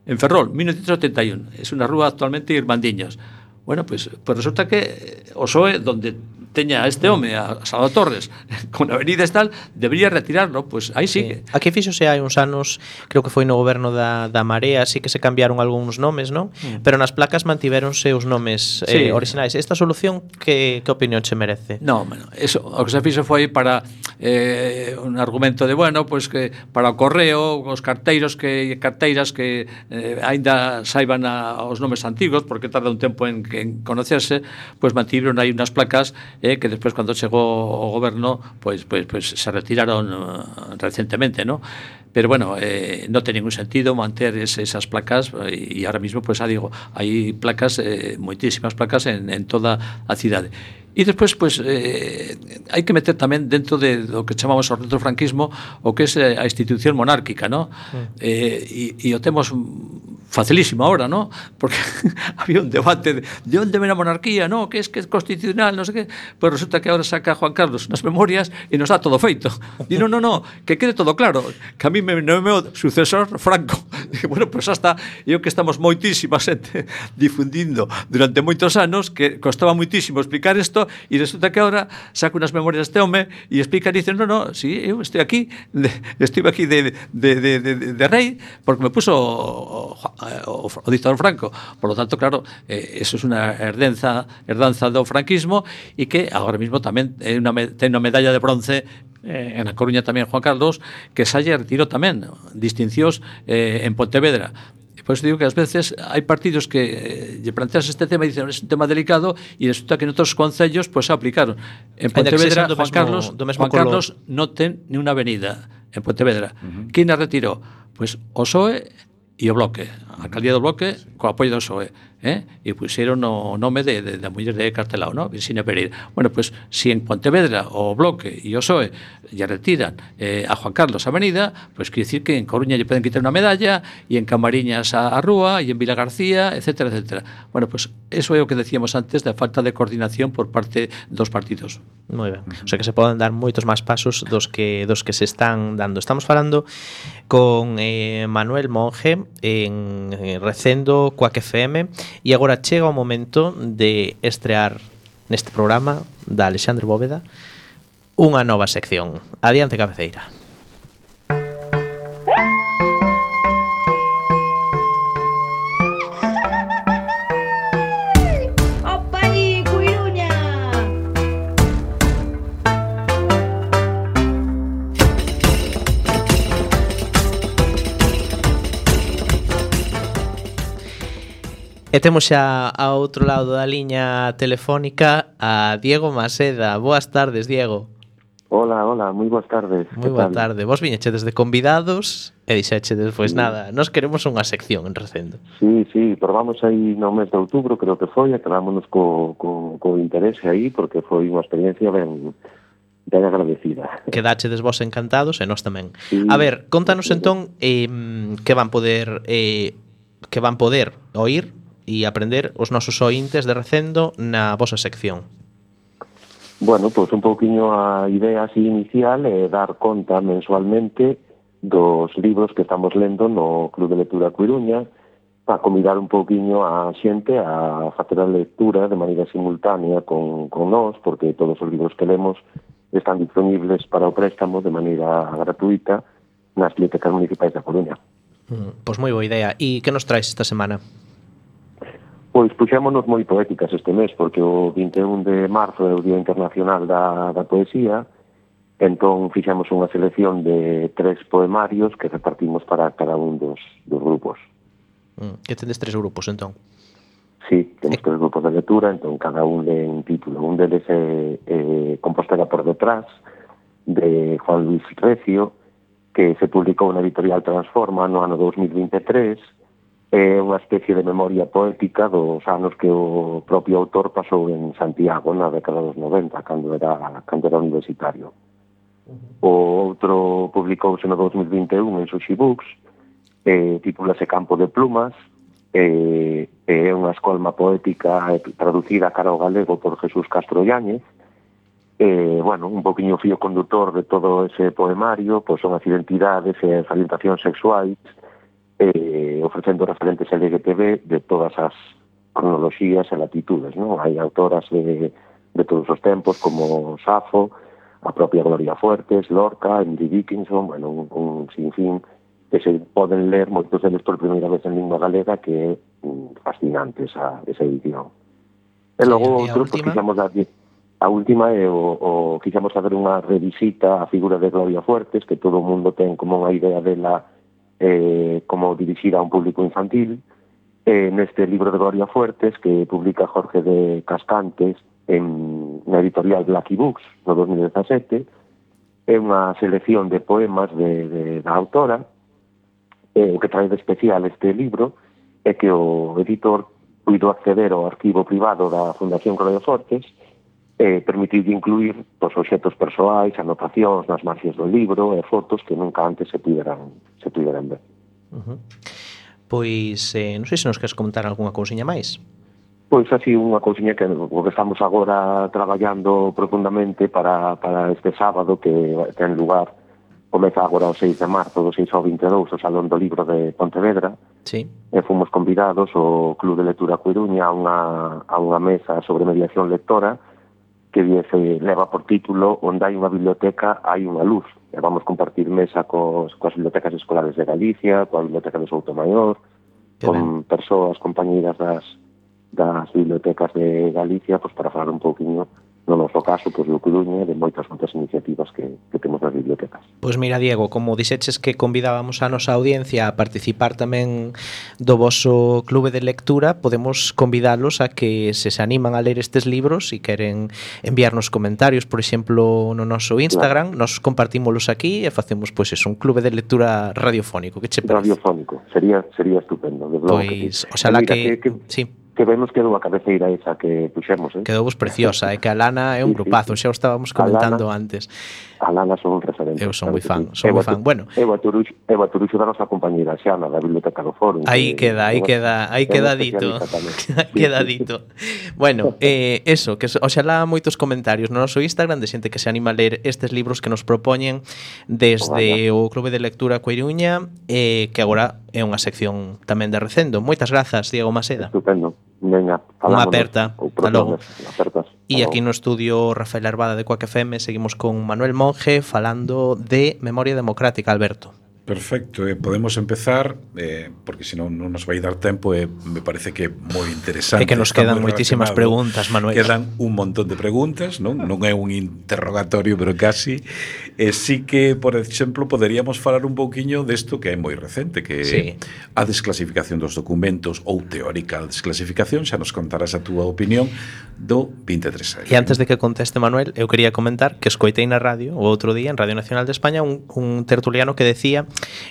En Ferrol, mil novecientos oitenta e un. Es unha rúa actualmente Irmandiños. Bueno, pues, pues resulta que o P S O E, donde teña a este home, a Salvador Torres, con avenidas tal, debería retirarlo, pues aí sigue. Sí. Aquí fíxose hai uns anos, creo que foi no goberno da, da Marea, sí que se cambiaron algúns nomes, non? Mm. Pero nas placas mantiveronse os nomes eh, sí. originais. Esta solución, que, que opinión che merece? No, bueno, eso, o que se fixo foi para eh, un argumento de, bueno, pues que para o correo, os carteiros que carteiras que eh, aínda saiban a, os nomes antigos, porque tarda un tempo en, en conocerse, pues mantiveron aí unas placas eh, que despois cando chegou o goberno pues, pues, pues se retiraron uh, recentemente, ¿no? Pero bueno, eh, non ten ningún sentido manter ese, esas placas e ahora mismo, pues, ah, digo, hai placas, eh, moitísimas placas en, en toda a cidade. E despois, pues, eh, hai que meter tamén dentro de do que chamamos o retrofranquismo o que é a institución monárquica, ¿no? Mm. Eh, e, e o temos facilísimo ahora, ¿no? Porque había un debate de, de onde ven a monarquía, ¿no? Que es que es constitucional, no sé qué. Pues resulta que ahora saca Juan Carlos unas memorias y nos da todo feito. Y no, no, no, que quede todo claro, que a mí me nomeou sucesor Franco. Dije, bueno, pues hasta eu que estamos moitísima xente difundindo durante moitos anos, que costaba moitísimo explicar isto, e resulta que ahora saca unas memorias este home e explica e dice, no, no, sí, eu estou aquí, de, estive aquí de, de, de, de, de rei, porque me puso o, o, o dictador Franco. Por lo tanto, claro, eh, eso es unha herdanza, herdanza do franquismo e que agora mismo tamén é unha, ten unha medalla de bronce eh, en A Coruña tamén Juan Carlos, que xa lle retirou tamén distincións eh, en Pontevedra. Por eso digo que ás veces hai partidos que eh, lle planteas este tema e dicen é un tema delicado e resulta que en outros concellos pues, se aplicaron. En Pontevedra, Juan mesmo, Carlos, Juan Carlos non ten ni unha avenida en Pontevedra. Uh -huh. Quem a retirou? Pues o P S O E e o Bloque, a alcaldía do Bloque co apoio do P S O E, eh? E puxeron o nome de, de, da muller de Castelao, ¿no? Virxinia Pereira. Bueno, pues si en Pontevedra o Bloque e o P S O E lle retiran eh, a Juan Carlos a Avenida, pues quiere decir que en Coruña lle poden quitar unha medalla, e en Camariñas a, a Rúa, e en Vila García, etcétera, etcétera. Bueno, pues eso é o que decíamos antes da falta de coordinación por parte dos partidos. Moi ben. O sea que se poden dar moitos máis pasos dos que dos que se están dando. Estamos falando con eh, Manuel Monge en eh, Recendo Coac F M, e agora chega o momento de estrear neste programa da Alexandre Bóveda unha nova sección. Adiante, cabeceira. E temos xa ao outro lado da liña telefónica a Diego Maseda. Boas tardes, Diego. Hola, hola, moi boas tardes. Moi boa tarde. Vos viñechedes de convidados e dixechedes, pois sí. Nada, nós queremos unha sección en Recendo. Sí, sí, probamos aí no mes de outubro, creo que foi, e quedámonos co, co, co interese aí, porque foi unha experiencia ben, ben agradecida. Quedachedes vos encantados e nós tamén. Sí. A ver, contanos entón eh, que van poder eh, que van poder oír e aprender os nosos ointes de Recendo na vosa sección. Bueno, pois pues un pouquiño a idea así inicial é dar conta mensualmente dos libros que estamos lendo no Club de Lectura Coiruña, para convidar un pouquiño a xente a facer a lectura de maneira simultánea con, con nós, porque todos os libros que lemos están disponibles para o préstamo de maneira gratuita nas bibliotecas municipais da Coruña. Mm, pois moi boa idea. E que nos traes esta semana? Pois puxémonos moi poéticas este mes, porque o vinte e un de marzo é o Día Internacional da, da Poesía, entón fixemos unha selección de tres poemarios que repartimos para cada un dos, dos grupos. Mm, que tendes tres grupos, entón? Sí, temos tres grupos de lectura, entón cada un de un título. Un deles é eh, Compostela por detrás, de Juan Luis Recio, que se publicou na editorial Transforma no ano dos mil vinte e tres, é unha especie de memoria poética dos anos que o propio autor pasou en Santiago na década dos noventa, cando era, cando era universitario. O outro publicouse no dos mil vinte e un en Sushi Books, eh, titúlase Campo de Plumas, eh, é unha escolma poética traducida cara ao galego por Jesús Castro Yáñez. Eh, bueno, un poquinho fío conductor de todo ese poemario, pois son as identidades e as orientacións sexuais, Eh, ofrecendo referentes L G T B de todas as cronoloxías e latitudes, non? Hai autoras de, de todos os tempos como Safo, a propia Gloria Fuertes, Lorca, Emily Dickinson, bueno, un, un sinfín que se poden ler moitos deles por primeira vez en lingua galega, que é fascinante esa, esa edición. E logo sí, outro, pues, quixamos dar, a última é o, o quixamos fazer unha revisita á figura de Gloria Fuertes, que todo o mundo ten como unha idea dela Eh, como dirigir a un público infantil, eh, neste libro de Gloria Fuertes que publica Jorge de Cascantes en na editorial Blacky Books no dos mil dezasete, é unha selección de poemas de, de, da autora. Eh, o que trae de especial este libro é que o editor puido acceder ao arquivo privado da Fundación Gloria Fuertes, eh, permitir incluir os obxetos persoais, anotacións nas marxes do libro e fotos que nunca antes se puderan, se puderan ver. Uh-huh. Pois, eh, non sei se nos queres comentar algunha cousiña máis. Pois así unha cousiña que, que estamos agora traballando profundamente para, para este sábado que ten lugar, comeza agora o seis de marzo, do seis ao vinte e dous, o Salón do Libro de Pontevedra. Sí. E fomos convidados o Club de Lectura Coiruña a unha, a unha mesa sobre mediación lectora que se leva por título Onde hai unha biblioteca, hai unha luz. E vamos compartir mesa cos, coas bibliotecas escolares de Galicia, coa biblioteca de Soutomaior, con ben. persoas, compañeiras das, das bibliotecas de Galicia, pues, para falar un pouquinho no noso caso, pois, o Coruña, de moitas outras iniciativas que, que temos nas bibliotecas. Pois mira, Diego, como dixeches que convidábamos a nosa audiencia a participar tamén do voso clube de lectura, podemos convidalos a que se se animan a ler estes libros e queren enviarnos comentarios, por exemplo, no noso Instagram, claro. Nos compartímolos aquí e facemos, pois, eso, un clube de lectura radiofónico. Que che parece? Radiofónico, sería sería estupendo. Pois, que, oxalá que, que, que sí. Que vemos quedou a cabeceira esa que puxemos, eh? Quedou vos preciosa, é eh? que a Lana é un grupazo, xa o estábamos comentando Lana, antes. A Lana son un referente. Eu son moi fan, son moi fan. Bueno, eu a Turuxo, eu a Turuxo da nosa compañeira Xana da Biblioteca do Foro. Aí queda, aí queda, aí queda dito. Queda dito. Bueno, eh, eso, que oxalá moitos comentarios no noso Instagram de xente que se anima a ler estes libros que nos propoñen desde o Clube de Lectura Coiruña, eh, que agora é unha sección tamén de Recendo. Moitas grazas, Diego Maseda. Estupendo. Venga, unha aperta. Hasta logo. Apertas. E aquí no estudio Rafael Arbada de Coac F M seguimos con Manuel Monge falando de Memoria Democrática, Alberto. Perfecto, eh, podemos empezar eh, porque senón non nos vai dar tempo e eh, me parece que é moi interesante. É que nos quedan moitísimas preguntas, Manuel. Quedan un montón de preguntas, non? Non é un interrogatorio, pero casi. E eh, sí que, por exemplo, poderíamos falar un pouquiño desto que é moi recente, que sí. A desclasificación dos documentos ou teórica desclasificación, xa nos contarás a túa opinión do vinte e tres A. E antes de que conteste Manuel, eu quería comentar que escoitei na radio o outro día en Radio Nacional de España un, un tertuliano que decía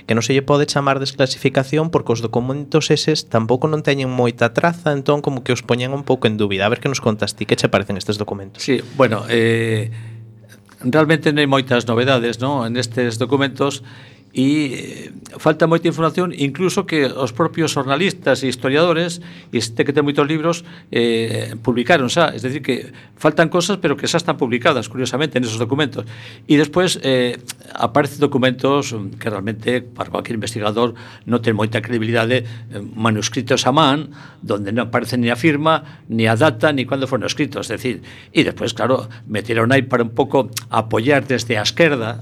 que non se lle pode chamar desclasificación porque os documentos eses tampouco non teñen moita traza, entón como que os poñen un pouco en dúbida. A ver que nos contas ti, que che parecen estes documentos? Sí, bueno, eh, realmente non hai moitas novedades, ¿no?, en estes documentos e falta moita información, incluso que os propios jornalistas e historiadores, e este que ten moitos libros, eh, publicaron xa, es decir, que faltan cosas pero que xa están publicadas, curiosamente, en esos documentos. E despois eh, aparecen documentos que realmente para cualquier investigador non ten moita credibilidade, eh, manuscritos a man, donde non aparece ni a firma, ni a data, ni cando foron escritos, es decir, e despois, claro, metieron aí para un pouco apoiar desde a esquerda,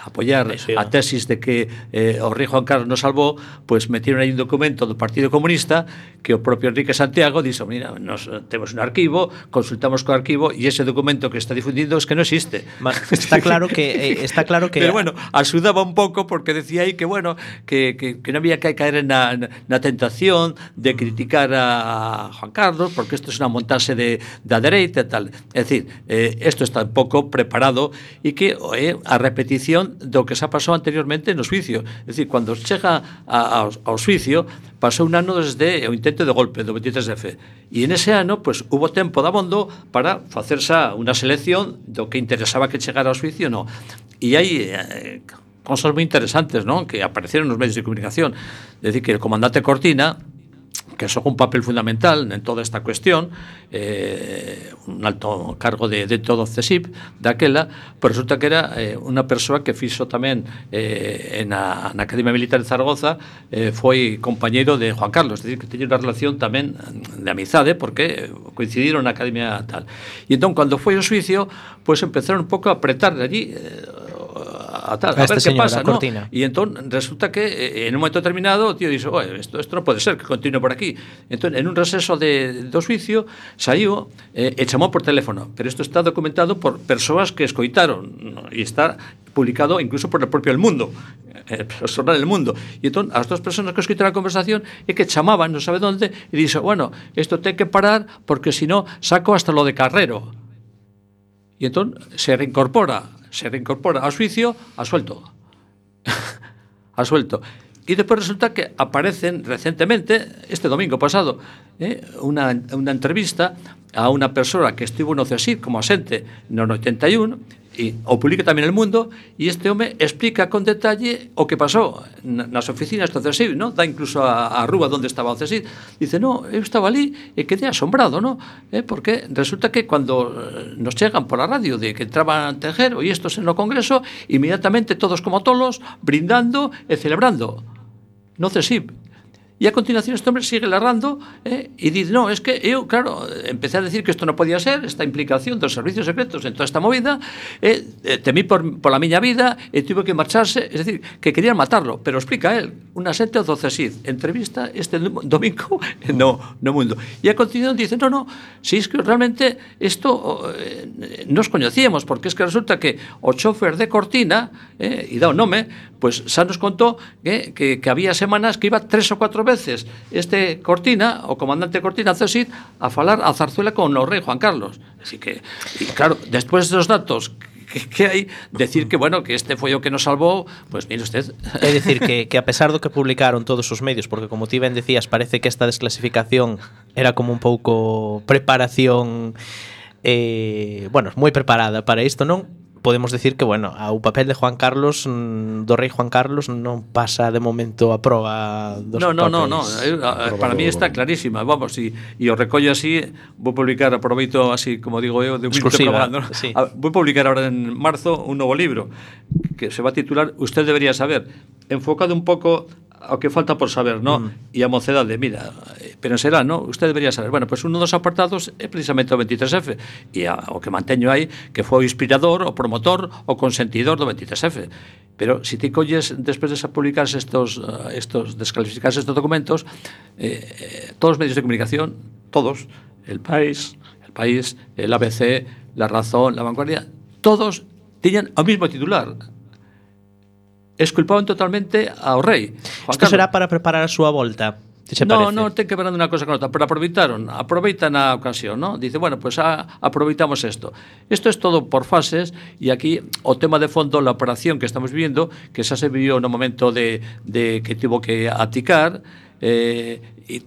apoiar sí, sí, a tesis de que eh, o rei Juan Carlos nos salvou, pois pues metieron aí un documento do Partido Comunista que o propio Enrique Santiago dixo, mira, nos temos un arquivo, consultamos co arquivo e ese documento que está difundindo es que non existe. Está claro que eh, está claro que pero bueno, axudaba un pouco porque decía aí que bueno, que, que, que non había que caer na, na tentación de criticar a Juan Carlos porque isto é unha montaxe de da dereita e tal. É dicir, eh, isto está un pouco preparado e que é eh, a repetición do que xa pasou anteriormente no xuicio. É dicir, cando chega a, ao, ao xuicio, pasou un ano desde o intento de golpe do vinte e tres de F. E en ese ano, pues, hubo tempo de abondo para facer xa unha selección do que interesaba que chegara ao xuicio, no. E hai eh, cosas moi interesantes, non?, que apareceron nos medios de comunicación. É dicir, que o comandante Cortina, que xoga un papel fundamental en toda esta cuestión, eh, un alto cargo de, de todo o C S I P daquela, pero resulta que era eh, unha persoa que fixo tamén eh, na, na Academia Militar de Zaragoza, eh, foi compañeiro de Juan Carlos, é dicir, que teña unha relación tamén de amizade, porque coincidiron na Academia tal. E entón, cando foi o xuicio, pois pues, empezaron un pouco a apretar de allí, eh, a, tal, a, a ver que pasa, ¿no? E entón resulta que eh, en un momento determinado o tío dixo, oye, isto, isto non pode ser que continue por aquí. Entón, en un receso de, do xuicio saiu eh, e chamou por teléfono, pero isto está documentado por persoas que escoitaron, ¿no? E está publicado incluso por el propio El Mundo, eh, o xornal El Mundo. E entón, as dos persoas que escoitaron a conversación é que chamaban, non sabe onde, e dixo, bueno, isto ten que parar porque si no saco hasta lo de Carrero. E entón se reincorpora se reincorpora ao xuicio, a suelto. A suelto. E depois resulta que aparecen recentemente, este domingo pasado, eh, unha, unha entrevista a unha persoa que estivo no C S I P como asente no oitenta e un, e o publica tamén El Mundo, e este home explica con detalle o que pasou nas oficinas do C S I P, ¿no? Dá incluso a, a rúa onde estaba o C S I P. Dice, no, eu estaba ali e quedé asombrado, ¿no? Eh, porque resulta que cando nos chegan por a radio de que entraban Tejero e estos en o Congreso, inmediatamente todos como tolos, brindando e celebrando no C S I P. E a continuación este hombre sigue larrando eh, e dice, no, es que eu, claro, empecé a decir que isto non podía ser, esta implicación dos servicios secretos en toda esta movida, eh, eh, temí por, por a miña vida e tuve que marcharse, es decir, que querían matarlo, pero explica él, unha xente do CSIC, entrevista este domingo no, no Mundo. E a continuación dice, no, no, si es que realmente isto eh, nos coñecíamos, porque es que resulta que o chofer de Cortina, eh, e dá o nome, pues xa nos contou que, que, que había semanas que iba tres ou cuatro veces este Cortina, o comandante Cortina CSIC, a falar a Zarzuela con o rei Juan Carlos. Así que, y claro, después dos datos que, que hai, decir que, bueno, que este foi o que nos salvou, pues mire usted. É dicir, que, que a pesar do que publicaron todos os medios, porque como ti ben decías, parece que esta desclasificación era como un pouco preparación, eh, bueno, moi preparada para isto, non? Podemos decir que, bueno, o papel de Juan Carlos, do rei Juan Carlos, non pasa de momento a proba dos no, no, papeles. no, no, para mí está clarísima, vamos, e o recollo así, vou publicar, aproveito así, como digo eu, de un exclusiva, ¿no? sí. Vou publicar ahora en marzo un novo libro que se va a titular Usted debería saber, enfocado un pouco ao que falta por saber, ¿no? Mm. E a mocedade, mira, pero será, ¿no? Usted debería saber. Bueno, pues uno dos apartados é precisamente o veintitrés F, e a, o que manteño aí, que foi o inspirador, o promotor, o consentidor do veintitrés F. Pero si ti colles, despois de publicarse estos, estos desclasificarse estos documentos, eh, todos os medios de comunicación, todos, El País, El País, el A B C, La Razón, La Vanguardia, todos tiñan o mismo titular. Esculpaban totalmente ao rei. Isto será para preparar a súa volta? No, parece? No, ten que ver unha cosa con outra, pero aproveitaron, aproveitan a ocasión, ¿no? Dice, bueno, pues a, aproveitamos esto. Esto es todo por fases, e aquí o tema de fondo, la operación que estamos viviendo, que xa se vivió no momento de, de que tivo que aticar, eh, y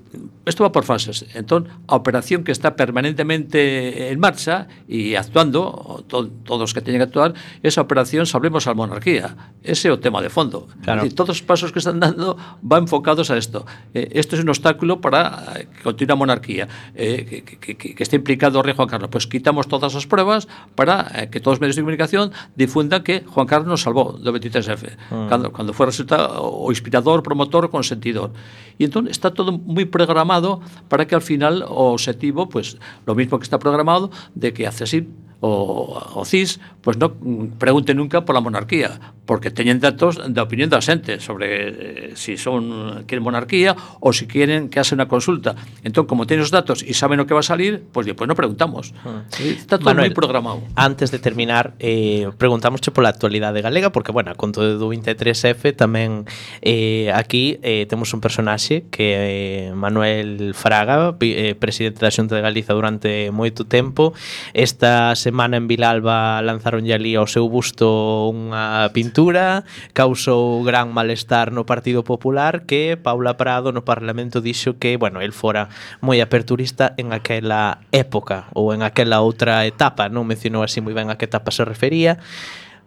esto va por fases. Entón, a operación que está permanentemente en marcha e actuando, to, todos que teñen que actuar, esa operación Salvemos a Monarquía. Ese é o tema de fondo. Claro. Es decir, todos os pasos que están dando van enfocados a esto. Eh, esto es un obstáculo para que continue a monarquía, eh, que, que, que, que esté implicado o rei Juan Carlos. Pues quitamos todas as pruebas para eh, que todos os medios de comunicación difundan que Juan Carlos nos salvó do veintitrés F, mm. cando, cando foi resultado o inspirador, promotor, consentidor. E entón está todo moi programado para que al final o objetivo, pues lo mismo que está programado, de que a CSIC o, o C I S pues no pregunte nunca por la monarquía, porque teñen datos da opinión da xente sobre eh, si son quieren monarquía ou si quieren que hace unha consulta. Entón, como teñen os datos e saben o que va a salir, pues despois non preguntamos. Uh. Está todo moi programado. Antes de terminar, eh, preguntámosche pola actualidade galega, porque, bueno, con todo do veintitrés F tamén eh, aquí eh, temos un personaxe que é eh, Manuel Fraga, eh, presidente da Xunta de Galiza durante moito tempo. Esta semana en Vilalba lanzaronlle ali ao seu busto unha pintura, causou gran malestar no Partido Popular, que Paula Prado no Parlamento dixo que, bueno, el fora moi aperturista en aquela época ou en aquela outra etapa, non mencionou así moi ben a que etapa se refería.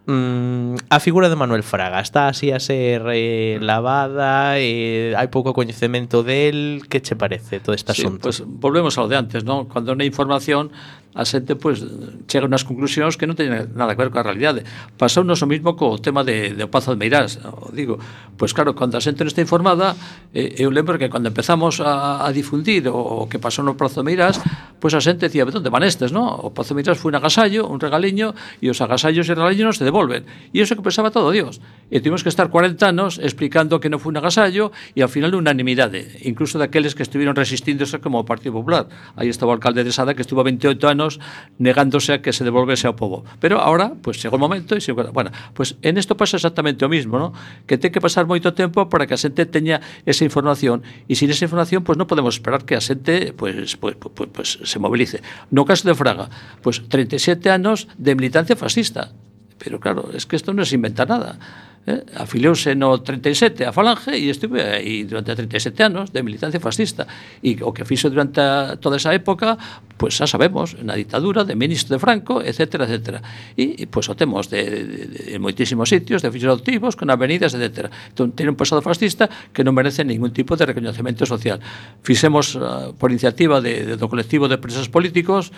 Mm, a figura de Manuel Fraga está así a ser eh, lavada, eh, hai pouco coñecemento del. Que che parece todo este asunto? Sí, pues volvemos ao de antes, ¿no? Cando non hai información, a xente pues chega a unhas conclusións que non teñen nada que ver coa realidade. Pasounos o mismo co tema de, de Pazo de Meirás. Digo, pues claro, cando a xente non está informada, eh, eu lembro que cando empezamos a, a difundir o, o que pasou no Pazo de Meirás, pues a xente decía, onde van estes, no? O Pazo de Meirás foi un agasallo, un regaliño, e os agasallos e regaliños se devolven. E iso que pensaba todo Dios. E tivemos que estar cuarenta anos explicando que non foi un agasallo, e ao final unanimidade, incluso daqueles que estiveron resistíndose como o Partido Popular. Aí estaba o alcalde de Sada, que estuvo veintiocho anos negándose a que se devolvese ao povo. Pero ahora, pues chegou o momento e se, bueno, pues en isto pasa exactamente o mismo, ¿no? Que ten que pasar moito tempo para que a xente teña esa información, e sin esa información pues non podemos esperar que a xente pues, pues, pues, pues se movilice. No caso de Fraga, pues treinta e sete anos de militancia fascista. Pero claro, es que isto non se inventa nada. Eh? Afiliouse no treinta e sete a Falange e estuve aí durante treinta e sete anos de militancia fascista, e o que fixo durante toda esa época pues xa sabemos, na ditadura de ministro de Franco, etcétera, etcétera, e, e pues o temos de, de, de, de moitísimos sitios de fixos adoptivos con avenidas, etcétera. Entón, tiene un pasado fascista que non merece ningún tipo de reconocimiento social. Fixemos uh, por iniciativa de, de, do colectivo de presos políticos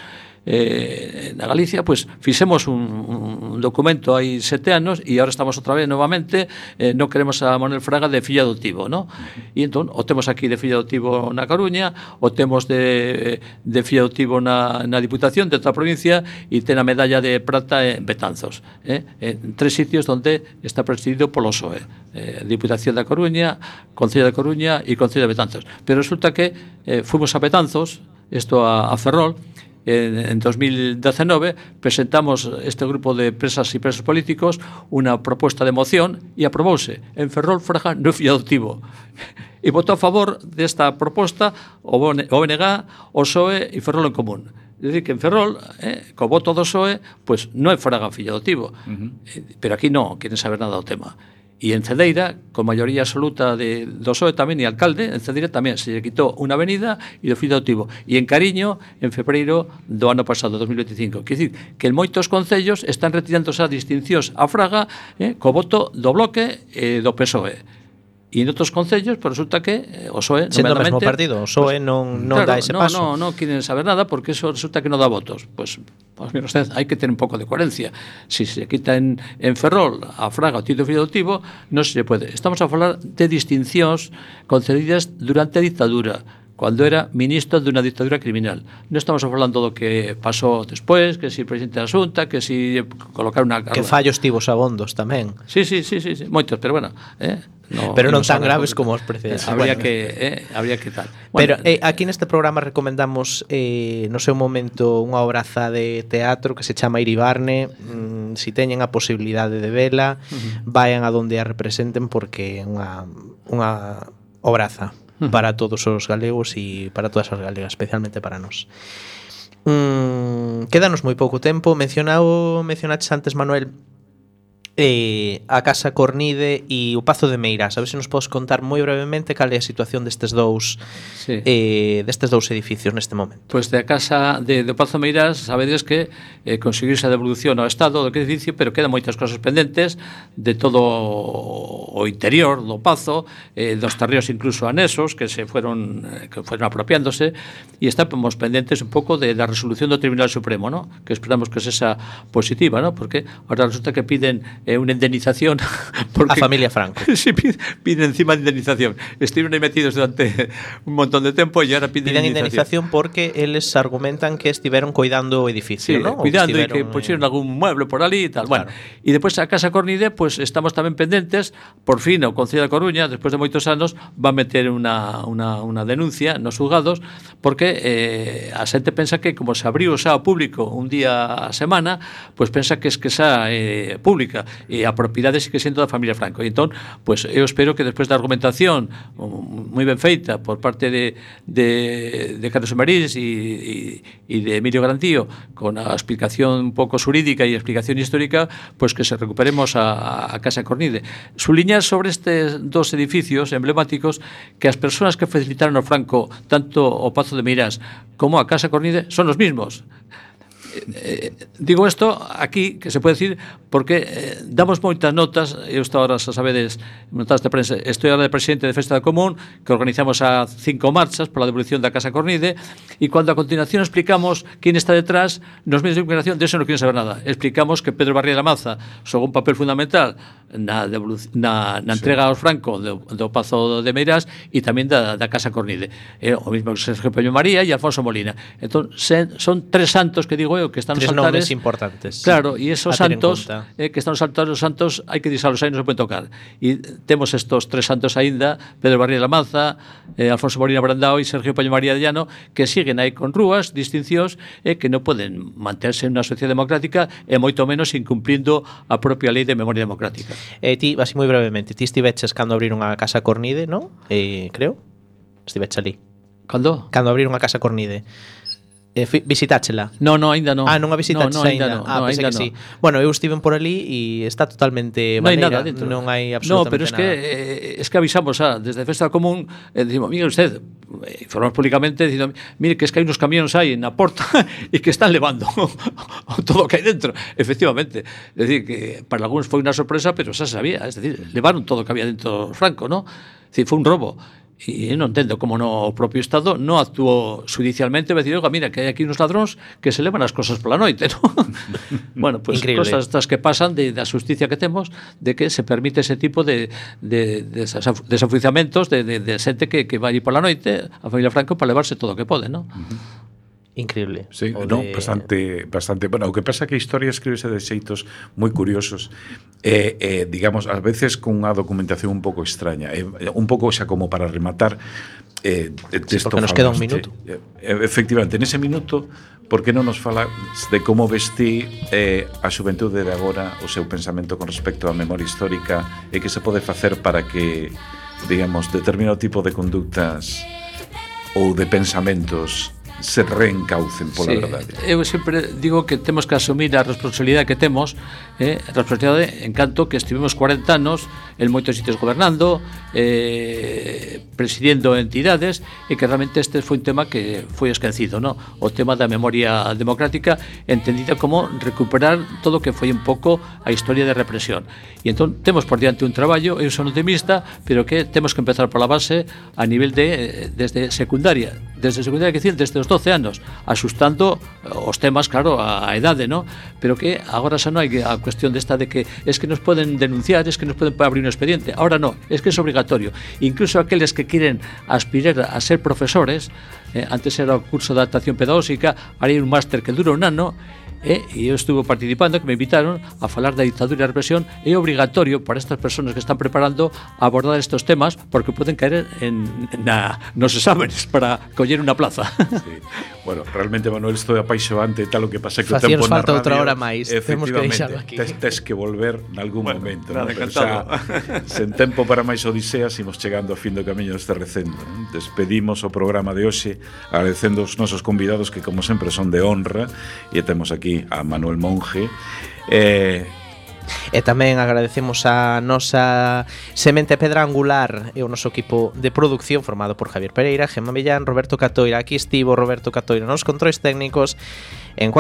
eh, na Galicia, pois fixemos un, un documento hai sete anos e agora estamos outra vez novamente, eh, non queremos a Manuel Fraga de fillo adoptivo, ¿no? E entón, o temos aquí de fillo adoptivo na Coruña, o temos de, de fillo adoptivo na, na Diputación de outra provincia e ten a medalla de prata en Betanzos, eh? En tres sitios onde está presidido polo P S O E, eh, Diputación da Coruña, Concello da Coruña e Concello de Betanzos. Pero resulta que eh, fuimos a Betanzos, isto a, a Ferrol, en dos mil diecinueve presentamos este grupo de presas e presos políticos unha proposta de moción e aprobouse en Ferrol Fraga no fillo adoptivo e votou a favor desta proposta o O N G, o P S O E e Ferrol en Común. É dicir, que en Ferrol, eh, co voto do P S O E, pois non é Fraga fillo adoptivo, uh-huh. eh, pero aquí non queren saber nada do tema. E en Cedeira, con maioría absoluta de, do P S O E tamén, e alcalde, en Cedeira tamén se lle quitou unha avenida e do fillo adoptivo. E en Cariño, en febreiro do ano pasado, dos mil veinticinco. Quer dicir, que en moitos concellos están retirando as distincións a Fraga eh, co voto do Bloque e do P S O E. E en outros concellos, pues resulta que o P S O E sendo o mesmo partido, o P S O E pues, non, non claro, dá ese no, paso. No, non quieren saber nada porque eso resulta que non dá votos. Pues, pues mira usted, hai que tener un pouco de coherencia. Si se quita en, en Ferrol a Fraga o título fillo adoptivo, non se pode. Estamos a falar de distincións concedidas durante a dictadura, cuando era ministro de unha dictadura criminal. Non estamos falando do que pasou despois, que si presidente da Xunta, que si colocar unha... Que fallos tivos abondos tamén. Sí, sí, sí, sí, sí, moitos, pero bueno, eh, no, pero non tan graves como os precedentes. Habría bueno. que eh, habría que tal. Pero Bueno, eh, aquí neste programa recomendamos eh, no seu momento unha obraza de teatro que se chama Iribarne. Mm, si teñen a posibilidade de vela, uh-huh. vayan a donde a representen porque é unha unha obraza uh-huh. para todos os galegos e para todas as galegas, especialmente para nós. Mm, quédanos moi pouco tempo. Mencionado, mencionaches antes, Manuel, eh, a Casa Cornide e o Pazo de Meirás. A ver se nos podes contar moi brevemente cal é a situación destes dous sí. eh, destes dous edificios neste momento. Pois pues de a Casa de, de Pazo de Meirás, sabedes que eh, conseguirse a devolución ao Estado do edificio, pero quedan moitas cosas pendentes de todo o interior do Pazo, eh, dos terreos incluso anexos que se fueron que fueron apropiándose, e estamos pendentes un pouco de la resolución do Tribunal Supremo, ¿no? Que esperamos que sexa positiva, ¿no? Porque ahora resulta que piden eh, unha indemnización porque, a familia Franco. Sí, piden, piden encima de indemnización. Estuvieron aí metidos durante un montón de tempo e ahora piden, piden indemnización. indemnización porque eles argumentan que estiveron coidando o edificio, sí, ¿no? Cuidando e que pusieron algún mueble por ali e tal. Claro. Bueno, e despois a Casa Cornide, pues estamos tamén pendentes, por fin o Concello da Coruña, despois de moitos anos, va a meter unha, unha, unha denuncia nos juzgados porque eh, a xente pensa que como se abriu xa ao público un día a semana, pues pensa que es que xa é eh, pública e a propiedade sigue sendo da familia Franco. E entón, pues eu espero que despois da argumentación moi ben feita por parte de de, de Carlos Marís e, e, e de Emilio Garantío, con a explicación un pouco xurídica e a explicación histórica, pues que se recuperemos a, a Casa Cornide. Suliñar sobre estes dos edificios emblemáticos que as persoas que facilitaron ao Franco tanto o Pazo de Meirás como a Casa Cornide son os mismos. Eh, digo isto aquí, que se pode decir porque eh, damos moitas notas. Eu estou ahora, xa sabedes, notas de prensa, estou ahora de presidente de Festa da Común, que organizamos a cinco marchas pola devolución da Casa Cornide, e cando a continuación explicamos quen está detrás, nos medios de comunicación de eso non quieren saber nada. Explicamos que Pedro Barriga Maza xogou un papel fundamental na, na, na entrega aos Franco do, do Pazo de Meirás e tamén da, da Casa Cornide, eh, o mismo que Sergio Peño María e Alfonso Molina. Entón, se, son tres santos que digo eu, que están tres nos altares importantes. Claro, e esos santos eh, que están nos altares, os santos hai que disalos aí, non se poden tocar. E temos estos tres santos aínda, Pedro Barriga Lamanza, eh, Alfonso Molina Brandao e Sergio Peño María de Llano, que siguen aí con rúas, distincións, e eh, que non poden manterse en unha sociedade democrática e moito menos incumplindo a propia lei de memoria democrática. Eh, ti, así moi brevemente, ti estiveches cando abriron a Casa Cornide, non? Eh, creo. Estiveches ali. Cando? Cando abriron a Casa Cornide. Eh, visitáchela? No, no, ainda non. Ah, non a visitaches no, no, ainda? No, ah, no, pensei que no. sí. Bueno, eu estive por ali e está totalmente non hai maneira, nada dentro. Non hai absolutamente nada. No, pero es nada. que eh, es que avisamos ah, desde Festa Común, eh, decimos, mire usted, eh, informamos públicamente dicindo, mire que es que hai unos camións aí na porta e que están levando todo o que hai dentro. Efectivamente, es decir, que para algúns foi unha sorpresa, pero xa sabía, es decir, levaron todo o que había dentro Franco, ¿no? Es decir, foi un robo. E non entendo como no o propio Estado non actuou judicialmente e decir, oiga, mira, que hai aquí uns ladróns que se levan as cosas pola noite, ¿no? Bueno, pues Increíble. cosas estas que pasan de, da justicia que temos, de que se permite ese tipo de, de, de desafuizamentos de, de, de xente que, que vai pola noite a familia Franco para levarse todo o que pode, ¿no? Uh-huh. Increíble. Sí, O no, de... bastante, bastante. Bueno, o que pasa é que a historia escríbese de xeitos moi curiosos e, eh, eh, digamos, a veces con unha documentación un pouco extraña. Eh, un pouco xa como para rematar eh, sí, porque nos queda un minuto. Eh, efectivamente, nese minuto, por que non nos fala de como vestí eh, a xuventude de agora o seu pensamento con respecto á memoria histórica e que se pode facer para que, digamos, determinado tipo de conductas ou de pensamentos se reencaucen pola sí, verdade. Eu sempre digo que temos que asumir a responsabilidade que temos, eh, a responsabilidade en canto que estivemos cuarenta anos en moitos sitios gobernando, eh, presidindo entidades, e que realmente este foi un tema que foi esquecido, ¿no? O tema da memoria democrática, entendida como recuperar todo o que foi un pouco a historia de represión. E entón temos por diante un traballo, eu son optimista, pero que temos que empezar pola base a nivel de desde secundaria, desde secundaria, que decir, desde os doce anos, asustando os temas, claro, a, a edade, ¿no? Pero que agora xa non hai a cuestión desta de que es que nos poden denunciar, es que nos poden abrir un expediente. Ahora no, es que es obligatorio. Incluso aqueles que quieren aspirar a ser profesores, eh, antes era o curso de adaptación pedagógica, ahora hai un máster que dura un ano, eh, e eu estuve participando, que me invitaron a falar da ditadura e a represión. É obligatorio para estas persoas que están preparando a abordar estos temas, porque poden caer en, na, nos exámenes para coller unha plaza. Sí. Bueno, realmente, Manuel, estou apaixoante, tal o que pasa que o Facíanos tempo na falta radio, outra hora máis, temos que deixalo aquí. Tes, tes que volver nalgún Bueno, momento, nada, ¿no? Pero encantado. xa, sen tempo para máis odiseas, imos chegando ao fin do camiño deste recendo, ¿no? Despedimos o programa de hoxe agradecendo os nosos convidados, que como sempre son de honra, e temos aquí a Manuel Monge. Eh, E tamén agradecemos a nosa semente pedra angular e o noso equipo de producción formado por Javier Pereira, Gemma Millán, Roberto Catoira. Aquí estivo Roberto Catoira nos controis técnicos. En